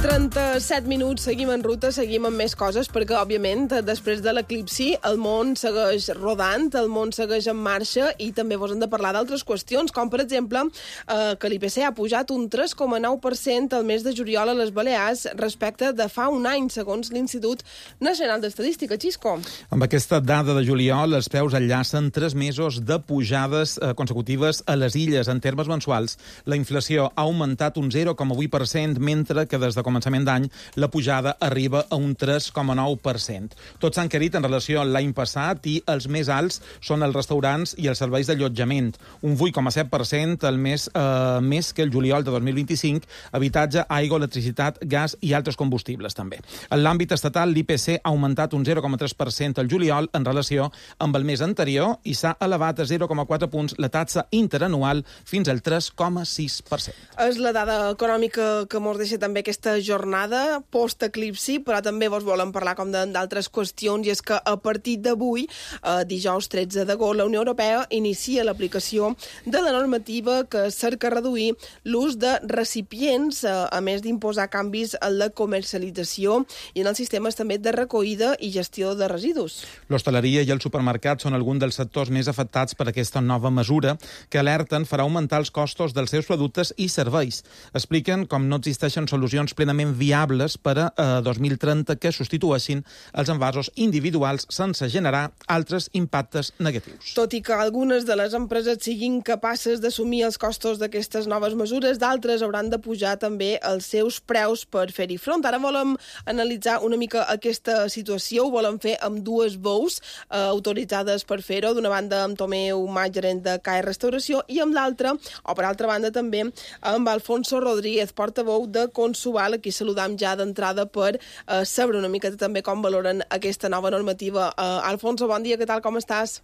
trenta-set minuts, seguim en ruta, seguim amb més coses, perquè, òbviament, després de l'eclipsi, el món segueix rodant, el món segueix en marxa i també vos hem de parlar d'altres qüestions, com, per exemple, eh, que l'I P C ha pujat un tres coma nou per cent al mes de juliol a les Balears respecte de fa un any, segons l'Institut Nacional d'Estadística. Xisco. Amb aquesta dada de juliol, els preus enllacen tres mesos de pujades eh, consecutives a les illes. En termes mensuals, la inflació ha augmentat un zero coma vuit per cent, mentre que des de començament d'any la pujada arriba a un tres coma nou per cent. Tots s'han encarit en relació a l'any passat i els més alts són els restaurants i els serveis d'allotjament. Un vuit coma set per cent el mes, eh, més que el juliol de dos mil vint-i-cinc, habitatge, aigua, electricitat, gas i altres combustibles també. En l'àmbit estatal, l'I P C ha augmentat un zero coma tres per cent el juliol en relació amb el mes anterior i s'ha elevat a zero coma quatre punts la taxa interanual fins al tres coma sis per cent. És la dada econòmica que mos deixa també aquesta jornada post-eclipsi, però també vos volem parlar com d'altres qüestions, i és que a partir d'avui, eh, dijous tretze d'agost, la Unió Europea inicia l'aplicació de la normativa que cerca reduir l'ús de recipients, eh, a més d'imposar canvis en la comercialització i en els sistemes també de recollida i gestió de residus. L'hostaleria i el supermercat són alguns dels sectors més afectats per aquesta nova mesura que alerten farà augmentar els costos dels seus productes i serveis. Expliquen com no existeixen solucions plenament plenament viables per a eh, dos mil trenta que substitueixin els envasos individuals sense generar altres impactes negatius. Tot i que algunes de les empreses siguin capaces d'assumir els costos d'aquestes noves mesures, d'altres hauran de pujar també els seus preus per fer-hi front. Ara volem analitzar una mica aquesta situació, ho volem fer amb dues veus eh, autoritzades per fer-ho. D'una banda amb Tomeu Mas, gerent de C A E Restauració, i amb l'altra, o per altra banda també, amb Alfonso Rodríguez, portaveu de Consuval. Aquí saludam ja d'entrada per eh, saber una mica també com valoren aquesta nova normativa. Eh, Alfonso, bon dia, què tal, com estàs?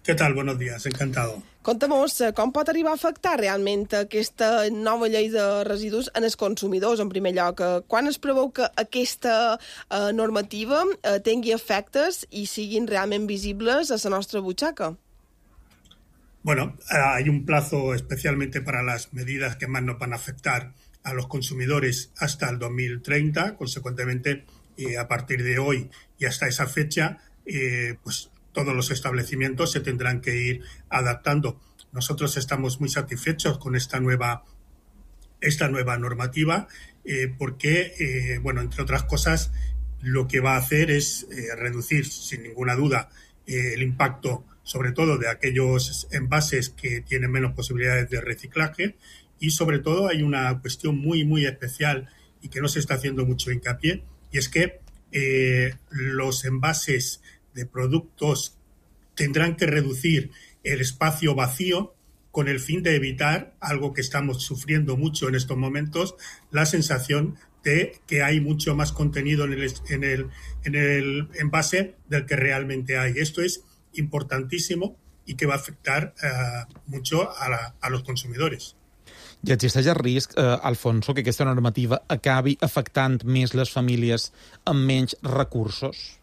¿Qué tal? Buenos días, encantado. Conta'mos, com pot arribar a afectar realment aquesta nova llei de residus en els consumidors, en primer lloc? Quan es preveu que aquesta eh, normativa eh, tingui efectes i siguin realment visibles a la nostra butxaca? Bueno, hay un plazo especialmente para las medidas que más nos van a afectar a los consumidores hasta el dos mil treinta. Consecuentemente, eh, a partir de hoy y hasta esa fecha, eh, pues todos los establecimientos se tendrán que ir adaptando. Nosotros estamos muy satisfechos con esta nueva, esta nueva normativa eh, porque, eh, bueno, entre otras cosas, lo que va a hacer es eh, reducir, sin ninguna duda, eh, el impacto sobre todo de aquellos envases que tienen menos posibilidades de reciclaje, y sobre todo hay una cuestión muy, muy especial y que no se está haciendo mucho hincapié, y es que eh, los envases de productos tendrán que reducir el espacio vacío con el fin de evitar algo que estamos sufriendo mucho en estos momentos, la sensación de que hay mucho más contenido en el, en el, en el envase del que realmente hay. Esto es importantísimo i que va afectar eh, mucho a, la, a los consumidores. I existeix el risc, eh, Alfonso, que aquesta normativa acabi afectant més les famílies amb menys recursos?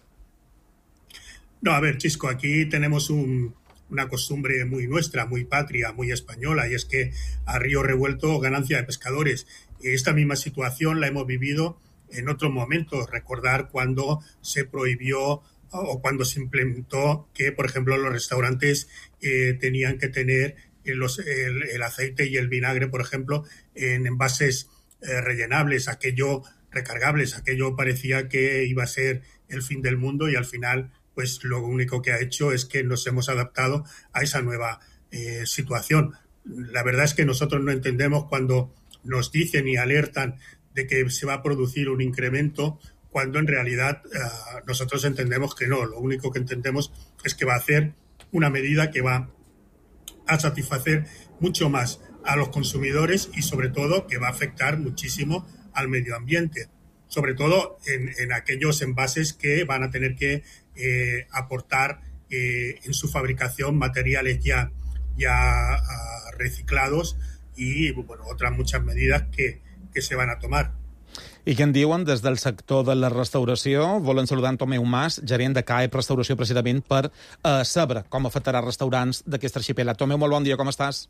No, a ver, Chisco, aquí tenemos un, una costumbre muy nuestra, muy patria, muy española, y es que a río revuelto ganancia de pescadores. Esta misma situación la hemos vivido en otros momentos. Recordar cuando se prohibió o cuando se implementó que, por ejemplo, los restaurantes eh, tenían que tener los, el, el aceite y el vinagre, por ejemplo, en envases eh, rellenables, aquello recargables, aquello parecía que iba a ser el fin del mundo, y al final, pues lo único que ha hecho es que nos hemos adaptado a esa nueva eh, situación. La verdad es que nosotros no entendemos cuando nos dicen y alertan de que se va a producir un incremento, cuando en realidad uh, nosotros entendemos que no. Lo único que entendemos es que va a hacer una medida que va a satisfacer mucho más a los consumidores y sobre todo que va a afectar muchísimo al medio ambiente, sobre todo en, en aquellos envases que van a tener que eh, aportar eh, en su fabricación materiales ya, ya uh, reciclados y bueno, otras muchas medidas que, que se van a tomar. I què en diuen des del sector de la restauració? Volen saludar en Tomeu Mas, gerent de C A E Restauració, precisament per eh, saber com afectarà restaurants d'aquest arxipèlag. Tomeu, molt bon dia, com estàs?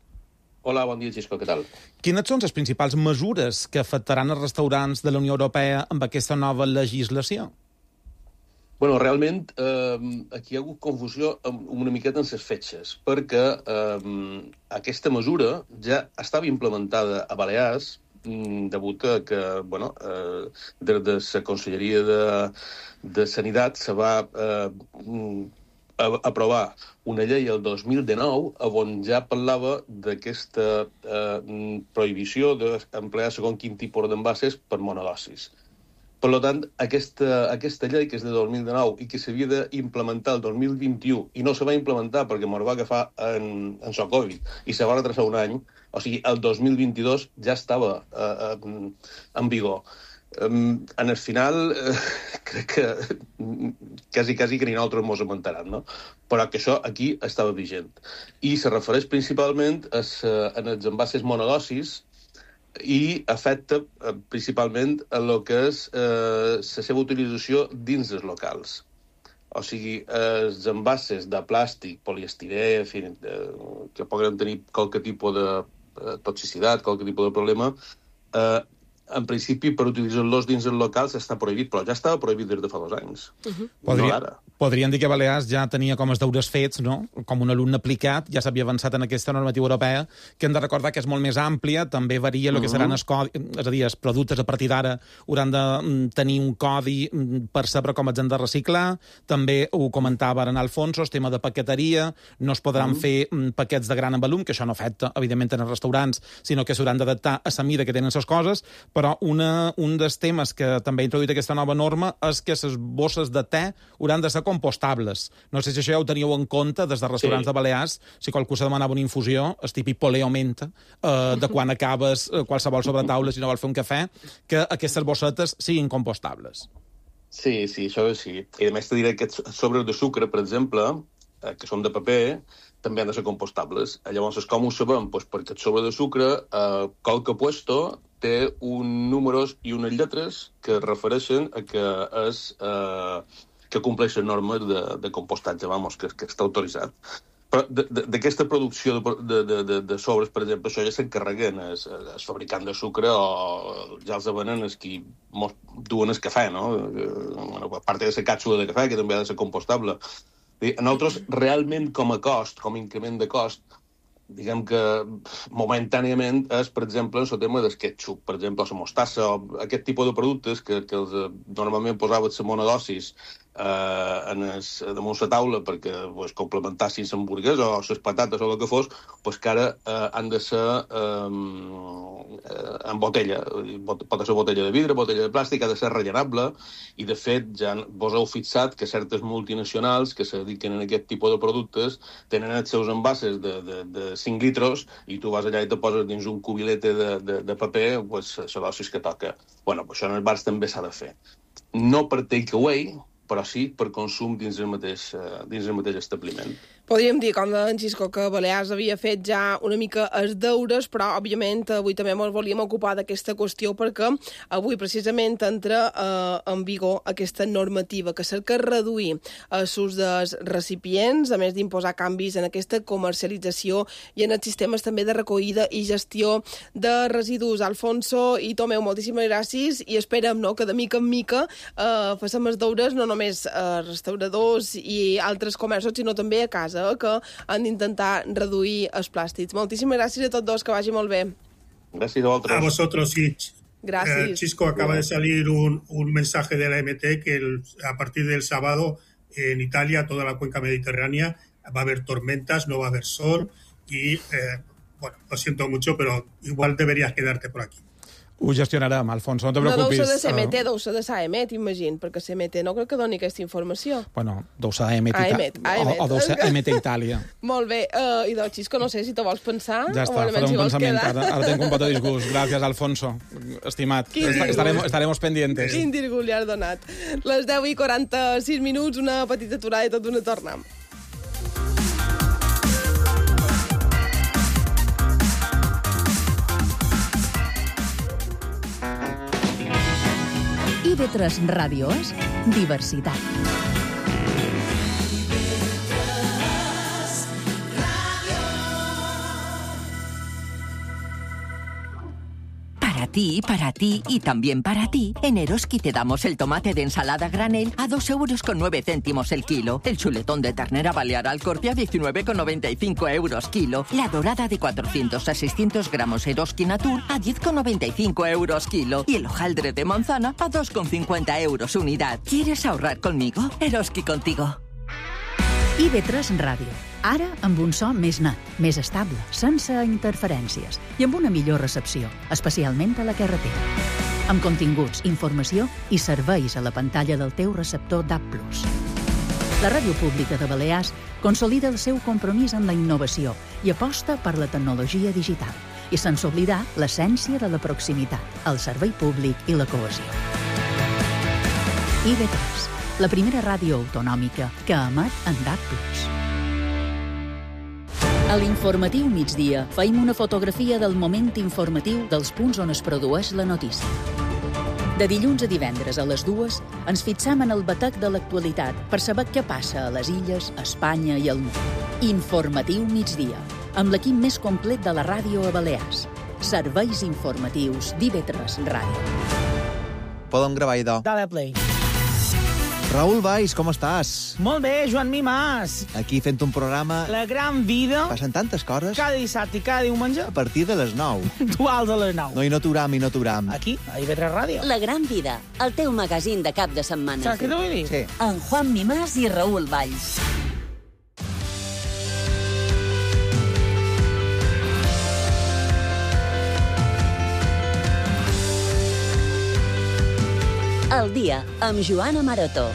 Hola, bon dia, Xisco, què tal? Quines són les principals mesures que afectaran els restaurants de la Unió Europea amb aquesta nova legislació? Bueno, realment, eh, aquí hi ha hagut confusió una miqueta en les fetges, perquè eh, aquesta mesura ja estava implementada a Balears, degut a que, bueno, eh, des de la Conselleria de, de Sanitat se va eh, a, aprovar una llei el dos mil dinou on ja parlava d'aquesta eh, prohibició d'emplear segons quin tipus d'envases per monodosis. Per tant, aquesta, aquesta llei, que és de dos mil dinou i que s'havia d'implementar el dos mil vint-i-u i no se va implementar perquè ens va agafar en, en so Covid i se va retrasar un any, o sigui, el dos mil vint-i-dos ja estava eh, en vigor. Um, en el final, eh, crec que quasi, quasi que ni nosaltres ens amuntaran, no? Però que això aquí estava vigent. I se refereix principalment a, a els envases monodosis i afecta eh, principalment a lo que és eh, la seva utilització dins dels locals. O sigui, els envases de plàstic, poliestirè, en fi, eh, que poden tenir qualque tipus de eh, toxicitat, qualque tipus de problema, eh, en principi, per utilitzar-los dins el local s'està prohibit, però ja estava prohibit des de fa dos anys. Uh-huh. Podria, no podríem dir que Balears ja tenia com els deures fets, no? Com un alumne aplicat, ja s'havia avançat en aquesta normativa europea, que hem de recordar que és molt més àmplia, també varia el uh-huh. que seran els codis, és a dir, els productes a partir d'ara hauran de tenir un codi per saber com els han de reciclar, també ho comentava ara en Alfonso, el tema de paqueteria, no es podran uh-huh. fer paquets de gran volum, que això no afecta, evidentment, en els restaurants, sinó que s'hauran d'adaptar a la mida que tenen les coses, però una, un dels temes que també ha introduït aquesta nova norma és que les bosses de te hauran de ser compostables. No sé si això ja ho teníeu en compte des de restaurants sí. de Balears, si qualcú se demanava una infusió, el típic poleo menta, eh, de quan acabes eh, qualsevol sobretaula si no vols fer un cafè, que aquestes bossetes siguin compostables. Sí, sí, això sí. I a més te diré que aquests sobres de sucre, per exemple, eh, que són de paper, també han de ser compostables. Llavors, com ho sabem? Pues perquè el sobre de sucre, eh, qualque puesto, té un números i unes lletres que refereixen a que és eh, que compleixen normes de, de compostatge, vamos, que, que està autoritzat. Però d'aquesta producció de, de, de, de sobres, per exemple, això ja s'encarreguen els, els fabricants de sucre o ja els venen els qui duen el cafè, no? Bueno, a part de la càpsula de cafè, que també ha de ser compostable. Nosaltres, realment, com a cost, com a increment de cost, diguem que momentàniament és, per exemple, el tema del ketchup, per exemple, la mostassa, o aquest tipus de productes que, que els, normalment posaven la monodosis eh, en es, damunt la taula perquè pues, complementassin l'hamburguesa o les patates o el que fos, pues, que ara eh, han de ser eh, en botella. Pot ser botella de vidre, botella de plàstic, ha de ser rellenable, i de fet ja vos heu fixat que certes multinacionals que se dediquen a aquest tipus de productes tenen els seus envases de, de, de cinc litros i tu vas allà i te poses dins un cubilete de, de, de paper, pues, la dosis que toca. Bueno, pues això en els bars també s'ha de fer. No per take-away, però sí per consum dins el mateix, dins el mateix establiment. Podríem dir, com deia en Xisco, que Balears havia fet ja una mica els deures, però, òbviament, avui també ens volíem ocupar d'aquesta qüestió perquè avui, precisament, entra eh, en vigor aquesta normativa que cerca reduir l'ús dels recipients, a més d'imposar canvis en aquesta comercialització i en els sistemes també de recollida i gestió de residus. Alfonso i Tomeu, moltíssimes gràcies i esperem no, que de mica en mica eh, facem els deures no només a restauradors i altres comerços, sinó també a casa, que han d'intentar reduir els plàstics. Moltíssimes gràcies a tots dos, que vagi molt bé. Gràcies a vosaltres. A vosotros, sí. Gracias. Eh, Chisco, acaba de salir un, un mensaje de la M T que el, a partir del sábado en Italia, toda la cuenca mediterránea, va a haber tormentas, no va a haber sol y, eh, bueno, lo siento mucho, pero igual deberías quedarte por aquí. Ho gestionarem, Alfonso, no te preocupis. No deu ser de C M T, deu ser de S A E M E T, imagino, perquè C M T no crec que doni aquesta informació. Bueno, deu ser A E M E T, A E M E T, A E M E T. o, o deu ser A E M E T Itàlia. Molt bé, uh, i del Xisco, no sé si te vols pensar. Ja està, faré un pensament, ara, ara tenc un pot de disgust. Gràcies, Alfonso, estimat. Estaremos, estaremos pendientes. Quin disgust li has donat. Les deu i quaranta-sis minuts, una petita aturada i tot una torna. I V tres Ràdio és diversitat. Para ti, para ti y también para ti, en Eroski te damos el tomate de ensalada granel a dos euros con nueve céntimos el kilo, el chuletón de ternera balear al corte a diecinueve con noventa y cinco euros kilo, la dorada de cuatrocientos a seiscientos gramos Eroski Natur a diez con noventa y cinco euros kilo y el hojaldre de manzana a dos con cincuenta euros unidad. ¿Quieres ahorrar conmigo? Eroski contigo. I V tres Ràdio. Ara amb un so més net, més estable, sense interferències i amb una millor recepció, especialment a la carretera. Amb continguts, informació i serveis a la pantalla del teu receptor D A B plus. La Ràdio Pública de Balears consolida el seu compromís amb la innovació i aposta per la tecnologia digital i sense oblidar l'essència de la proximitat, el servei públic i la cohesió. I V tres, la primera ràdio autonòmica que emet en D A B plus. A l'informatiu migdia feim una fotografia del moment informatiu dels punts on es produeix la notícia. De dilluns a divendres a les dues ens fixam en el batec de l'actualitat per saber què passa a les illes, a Espanya i al món. Informatiu migdia, amb l'equip més complet de la ràdio a Balears. Serveis informatius d'I V tres Ràdio. Podem gravar, idò. Dale play. Raül Valls, com estàs? Molt bé, Joan Mimàs. Aquí fent un programa... La gran vida. Passen tantes coses. Cada dissabte i cada diumenge. A partir de les nou. Duals a les nou. No, i no t'uram, i no t'uram. Aquí, a I V tres Ràdio. La gran vida, el teu magazín de cap de setmana. Saps què t'ho vull dir? Sí. En Juan Mimàs i Raül Valls. El dia, amb Joana Maroto.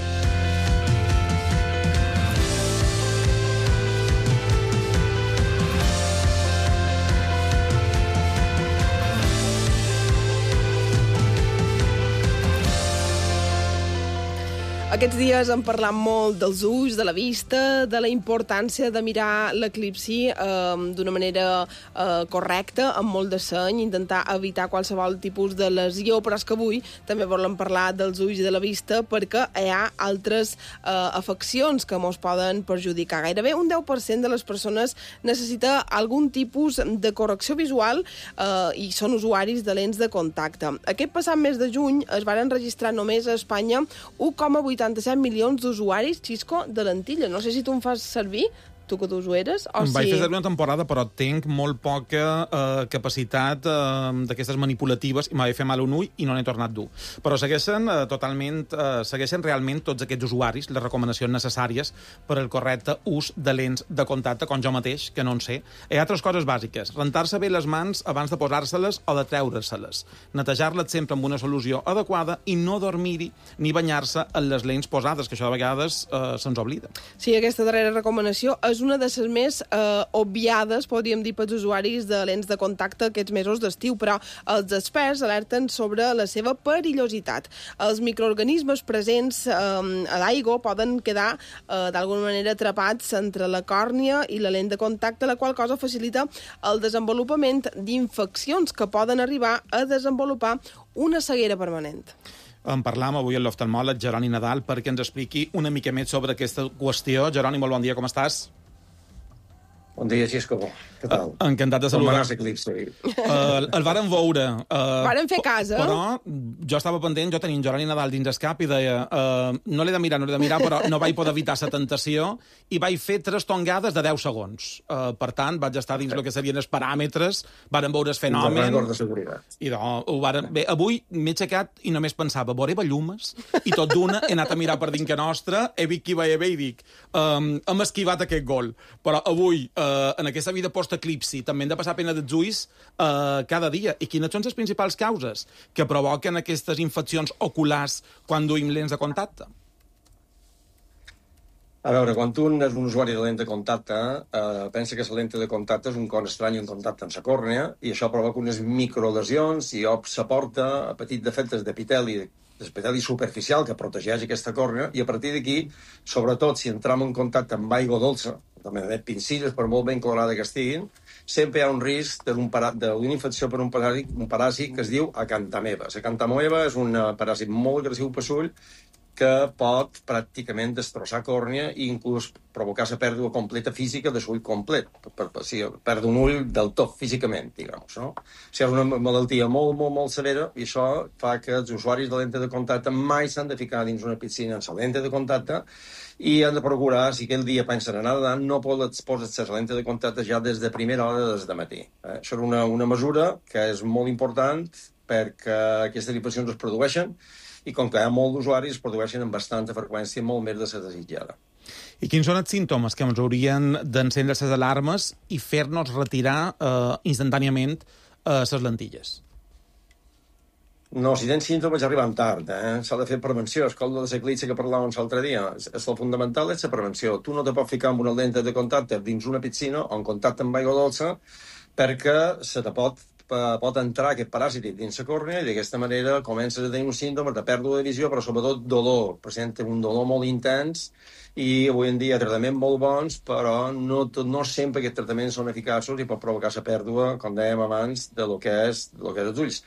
Aquests dies hem parlat molt dels ulls, de la vista, de la importància de mirar l'eclipsi eh, d'una manera eh, correcta, amb molt de seny, intentar evitar qualsevol tipus de lesió, però és que avui també volem parlar dels ulls i de la vista perquè hi ha altres eh, afeccions que ens poden perjudicar. Gairebé un deu per cent de les persones necessita algun tipus de correcció visual eh, i són usuaris de lents de contacte. Aquest passat mes de juny es van registrar només a Espanya u coma vuitanta-set milions d'usuaris, Xisco, de lentilla. No sé si tu en fas servir, tu que t'ho eres, o em vaig si... fer servir una temporada, però tinc molt poca eh, capacitat eh, d'aquestes manipulatives i m'ha de fer mal un ull i no n'he tornat dur. Però segueixen eh, totalment, eh, segueixen realment tots aquests usuaris les recomanacions necessàries per al correcte ús de lents de contacte, com jo mateix, que no en sé. Hi ha altres coses bàsiques. Rentar-se bé les mans abans de posar-se-les o de treure-se-les. Netejar-les sempre amb una solució adequada i no dormir-hi ni banyar-se en les lents posades, que això de vegades eh, se'ns oblida. Sí, aquesta darrera recomanació és una de les més eh, obviades, podríem dir, pels usuaris de lents de contacte aquests mesos d'estiu, però els experts alerten sobre la seva perillositat. Els microorganismes presents eh, a l'aigua poden quedar eh, d'alguna manera atrapats entre la còrnia i la lent de contacte, la qual cosa facilita el desenvolupament d'infeccions que poden arribar a desenvolupar una ceguera permanent. En parlam avui amb l'oftalmòleg Jeroni Nadal perquè ens expliqui una mica més sobre aquesta qüestió. Jeroni, molt bon dia, com estàs? Bon dia, Xisco. Què tal? Uh, encantat de saludar. Com va anar l'eclipsi? Uh, el vàrem veure. Uh, vàrem fer casa. Però jo estava pendent, jo tenia en Jeroni Nadal dins el cap i deia uh, no l'he de mirar, no l'he de mirar, però no vaig poder evitar la tentació i vaig fer tres tongades de deu segons. Uh, per tant, vaig estar dins el que serien els paràmetres, vàrem veure el fenomen. Un record de seguretat. I no, ho varen... Bé, avui m'he aixecat i només pensava, veuré bellumes, i tot d'una he anat a mirar per dintre nostra, he vist qui veia bé i dic, um, hem esquivat aquest gol. Però avui, uh, en aquesta vida post-eclipsi, també hem de passar pena dels ulls uh, cada dia. I quines són les principals causes que provoquen aquestes infeccions oculars quan duim lents de contacte? A veure, quan tu és un usuari de lent de contacte, eh, pensa que la lent de contacte és un con estrany en contacte amb la còrnea i això provoca unes microlesions i s'aporta a petits defectes d'epiteli, l'epiteli superficial que protegeix aquesta còrnea i a partir d'aquí, sobretot si entram en contacte amb aigua dolça, també de pincilles, per molt ben colorada que estiguin, sempre hi ha un risc d'una infecció per un paràsit, un paràsit que es diu acantameba. La acantameba és un paràsit molt agressiu per l'ull que pot pràcticament destrossar còrnea i inclús provocar la pèrdua completa física de l'ull complet. Per, per, o sigui, perdre un ull del tot físicament, diguem, no? O sigui, és una malaltia molt, molt, molt severa i això fa que els usuaris de lente de contacte mai s'han de ficar dins una piscina amb la lente de contacte i han de procurar, si aquell dia pensen anar nedant, no pots posar la lente de contacte ja des de primera hora des de matí. Eh? Això és una, una mesura que és molt important perquè aquestes infeccions es produeixen i com que hi ha molt d'usuaris, es produeixen amb bastanta freqüència, molt més de la desitjada. I quins són els símptomes que ens haurien d'encendre les alarmes i fer-nos retirar eh, instantàniament eh, les lentilles? No, si tens símptomes arriben tard, eh? S'ha de fer prevenció. És com la l'eclipsi que parlàvem l'altre dia. El fundamental és la prevenció. Tu no te pots ficar amb una lenta de contacte dins una piscina o en contacte amb aigua dolça perquè se te pot pot entrar aquest paràsit dins la còrnea i d'aquesta manera comences a tenir un símptoma de pèrdua de visió, però sobretot dolor. Presenta un dolor molt intens i avui en dia tractaments molt bons, però no, no sempre aquests tractaments són eficaços i pot provocar la pèrdua, com dèiem abans, de lo que és, de lo que és els ulls.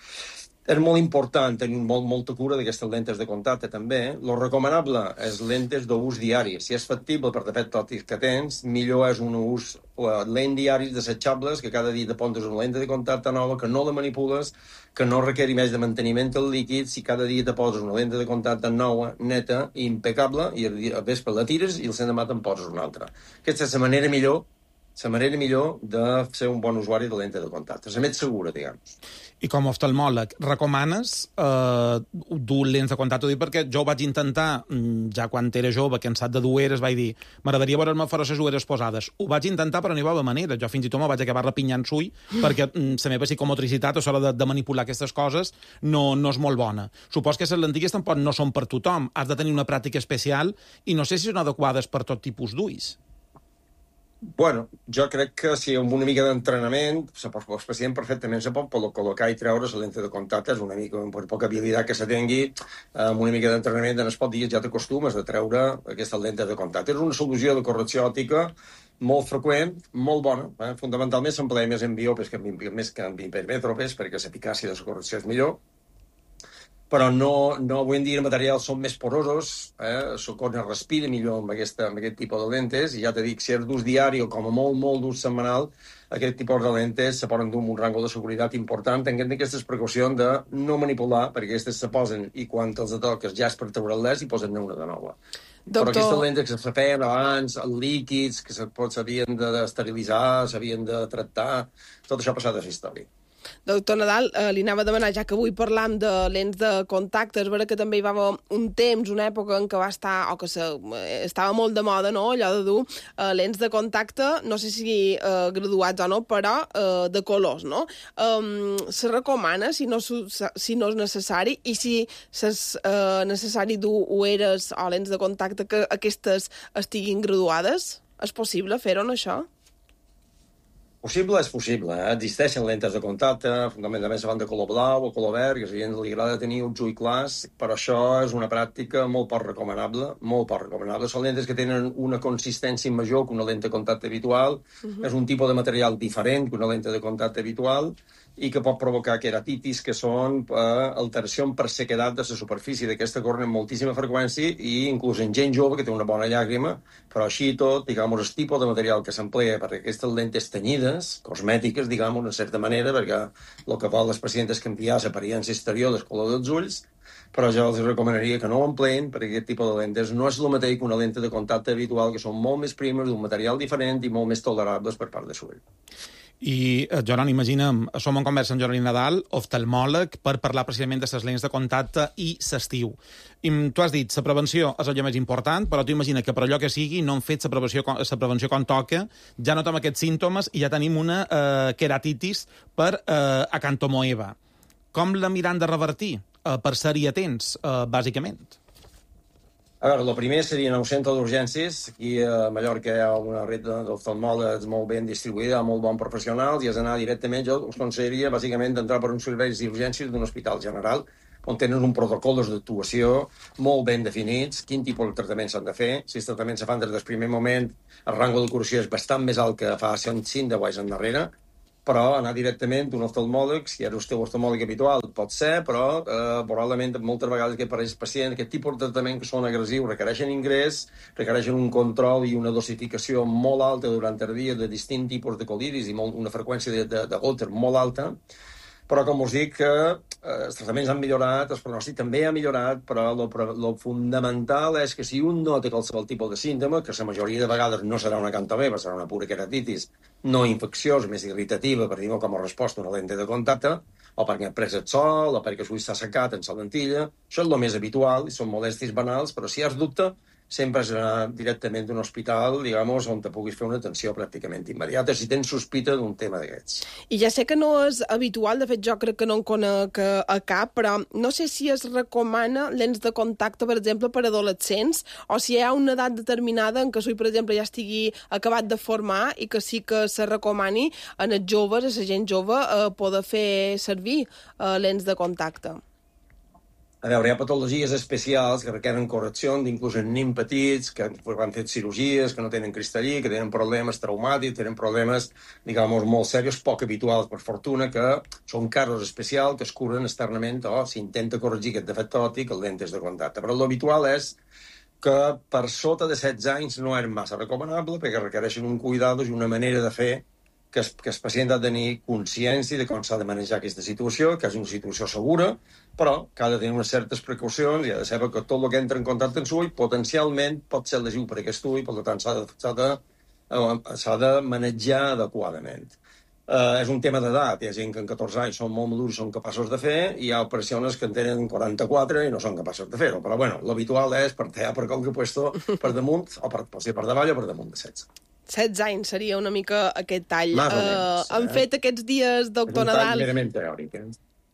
és molt important tenir molt, molta cura d'aquestes lentes de contacte, també. Lo recomanable és lentes d'ús diari. Si és factible per defecte òptic que tens, millor és un ús lent diaris desechables, que cada dia te poses una lente de contacte nova, que no la manipules, que no requeri més de manteniment del líquid. Si cada dia te poses una lente de contacte nova, neta i impecable, i al vespre la tires i el l'endemà te'n poses una altra. Aquesta és la manera millor la manera millor de ser un bon usuari de lente de contacte. És la més segura, diguem. I com a oftalmòleg, recomanes eh, dur lents de contacte? Dic perquè jo ho vaig intentar, ja quan era jove, cansat de dur ulleres, vaig dir, m'agradaria veure'm fora les ulleres posades. Ho vaig intentar, però no hi va haver manera. Jo fins i tot me vaig acabar repinyant l'ull, perquè la meva psicomotricitat, a l'hora de, de manipular aquestes coses, no, no és molt bona. Supos que les lentilles tampoc no són per tothom. Has de tenir una pràctica especial i no sé si són adequades per tot tipus d'ulls. Bueno, jo crec que si amb una mica d'entrenament, el pacient perfectament se pot col·locar i treure la lente de contacte, és una mica, per poca habilitat que se tingui, amb una mica d'entrenament en els pocs dies ja t'acostumes a treure aquesta lente de contacte. És una solució de correcció òptica molt freqüent, molt bona. Eh? Fundamentalment s'emplea més en biopes que en, més que en hipermètropes, perquè l'eficàcia de la correcció és millor. Però no, no avui en dia els materials són més porosos, eh? El cos es respira millor amb, aquesta, amb aquest tipus de lentes, i ja te dic, si és d'ús diari o com a molt, molt d'ús setmanal, aquest tipus de lentes se poden dur amb un rango de seguretat important, tenint aquestes precaucions de no manipular, perquè aquestes se posen i quan els toques ja és per treure-les i posen-ne una de nova. Doctor... Però aquestes lentes que se feien abans, els líquids, que s'havien d'esterilitzar, s'havien de tractar, tot això ha passat a la història. Doctor Nadal, eh, li anava a demanar, ja que avui parlam de lents de contacte, és vera que també hi va haver un temps, una època en què va estar, o que se, eh, estava molt de moda, no?, allò de dur eh, lents de contacte, no sé si eh, graduats o no, però eh, de colors, no? Um, se recomana, si no, si no és necessari, i si és eh, necessari dur ulleres o lents de contacte que aquestes estiguin graduades? És possible fer-ho, això? Possible és possible, eh? Existeixen lentes de contacte, fundamentalment se van de color blau o color verd, que a la gent li agrada tenir uns ulls clars, però això és una pràctica molt poc recomanable, molt poc recomanable. Són lentes que tenen una consistència major que una lente de contacte habitual, uh-huh. És un tipus de material diferent que una lente de contacte habitual, i que pot provocar queratitis, que són eh, alteració per sequedat de la superfície d'aquesta cornea amb moltíssima freqüència, i inclús en gent jove que té una bona llàgrima, però així i tot, diguem, el tipus de material que s'emplea per aquestes lentes tenyides, cosmètiques, diguem, en certa manera, perquè el que vol les pacients és canviar l'apariència exterior del color dels ulls, però jo els recomanaria que no ho empleen, perquè aquest tipus de lentes no és el mateix que una lente de contacte habitual, que són molt més primes, d'un material diferent i molt més tolerables per part de l'ull. I, Joran, imaginem, som en conversa amb Jordi Nadal, oftalmòleg, per parlar precisament de les lents de contacte i l'estiu. I tu has dit, la prevenció és allò més important, però tu imagina que per allò que sigui no hem fet la prevenció, la prevenció com toca, ja notem aquests símptomes i ja tenim una eh, queratitis per eh, acantomoeba. Com la miran de revertir? Eh, per ser-hi atents, eh, bàsicament. A veure, el primer seria en el centre d'urgències. Aquí a Mallorca hi ha una red d'oftalmòlegs molt ben distribuïda, molt bons professionals, i has d'anar directament, jo us aconsellaria bàsicament d'entrar per uns serveis d'urgències d'un hospital general, on tenen un protocol d'actuació molt ben definits, quin tipus de tractaments s'han de fer. Si els tractaments se fan des del primer moment, el rango de curació és bastant més alt que fa cinc deu anys endarrere, però anar directament d'un oftalmòleg, si eres el teu oftalmòleg habitual, pot ser, però eh, probablement moltes vegades que per als pacients aquest tipus de tractament que són agressius requereixen ingrés, requereixen un control i una dosificació molt alta durant el dia de distints tipus de col·lidis i molt, una freqüència de, de, de gotes molt alta, però com us dic que eh, els tractaments han millorat, el pronòstic també ha millorat, però el fundamental és que si un no té qualsevol tipus de símptoma, que la majoria de vegades no serà una cantomeba, serà una pura queratitis no infecciosa, més irritativa, per dir-ho com a resposta a una lente de contacte, o perquè ha pres el sol, o perquè l'ull s'ha secat en la lentilla, això és el més habitual, i són molèsties banals, però si has dubte, sempre és anar directament d'un hospital, digamos, on te puguis fer una atenció pràcticament immediata, si tens sospita d'un tema d'aquests. I ja sé que no és habitual, de fet jo crec que no en conec a cap, però no sé si es recomana lents de contacte, per exemple, per adolescents, o si hi ha una edat determinada en què l'ull, per exemple, ja estigui acabat de formar i que sí que se recomani en els joves, a la gent jove, eh, poder fer servir eh, lents de contacte. A veure, hi ha patologies especials que requeren correcció, inclús en nens petits, que han fet cirurgies, que no tenen cristallí, que tenen problemes traumàtics, tenen problemes, diguem, molt serios, poc habituals, per fortuna, que són casos especials que es curen externament o s'intenta corregir aquest defecte òptic amb lentes de contacte. Però l'habitual és que per sota de setze anys no és massa recomanable perquè requereixen un cuidado i una manera de fer que el, que el pacient ha de tenir consciència de com s'ha de manejar aquesta situació, que és una situació segura, però que ha de tenir unes certes precaucions i ha de saber que tot el que entra en contacte amb l'ull potencialment pot ser lesiu per aquest ull, per tant s'ha de, s'ha de, s'ha de manejar adequadament. Uh, és un tema d'edat, hi ha gent que en catorze anys són molt madurs i són capaços de fer, i hi ha persones que en tenen quaranta-quatre i no són capaços de fer-ho, però bueno, l'habitual és per tallar per qualque puesto per damunt, o per, per, per davall o per damunt de setze. setze anys seria una mica aquest tall. Més o menys, uh, han eh? fet aquests dies, doctor és un tall Nadal... merament teòric, eh?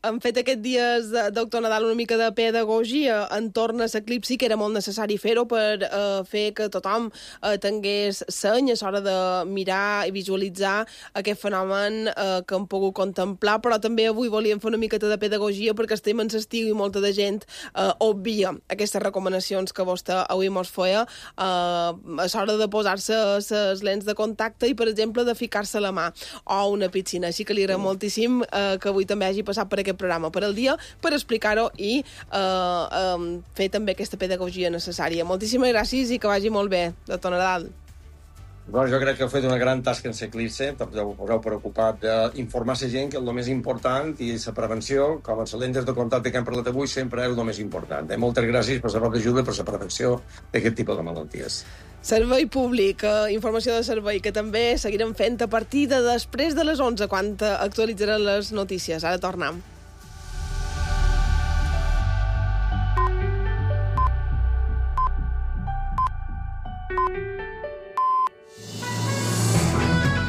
Han fet aquests dies, doctor Nadal, una mica de pedagogia entorn a l'eclipsi, que era molt necessari fer-ho per eh, fer que tothom eh, tingués seny a l'hora de mirar i visualitzar aquest fenomen eh, que hem pogut contemplar, però també avui volíem fer una miqueta de pedagogia perquè estem en l'estiu i molta de gent eh, obvia aquestes recomanacions que vostè avui mos feia eh, a l'hora de posar-se les lents de contacte i, per exemple, de ficar-se la mà o una piscina. Així que li agraïm moltíssim eh, que avui també hagi passat per aquest programa per al dia, per explicar-ho i eh, eh, fer també aquesta pedagogia necessària. Moltíssimes gràcies i que vagi molt bé, doctor Nadal. Bueno, jo crec que heu fet una gran tasca en l'eclipsi, us heu preocupat d'informar la gent que és el més important i la prevenció, com en les lentes de contacte que hem parlat avui, sempre és el més important. Eh? Moltes gràcies per la vostra ajuda i per la prevenció d'aquest tipus de malalties. Servei públic, eh, informació de servei, que també seguirem fent a partir de després de les onze, quan actualitzaran les notícies. Ara tornem.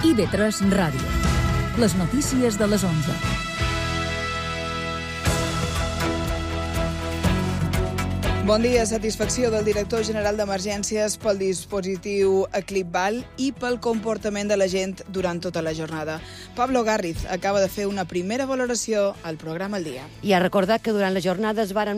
I V tres Ràdio. Les notícies de les onze. Bon dia. Satisfacció del director general d'Emergències pel dispositiu Eclipval i pel comportament de la gent durant tota la jornada. Pablo Garriz acaba de fer una primera valoració al programa El Dia. I ha recordat que durant la jornada es varen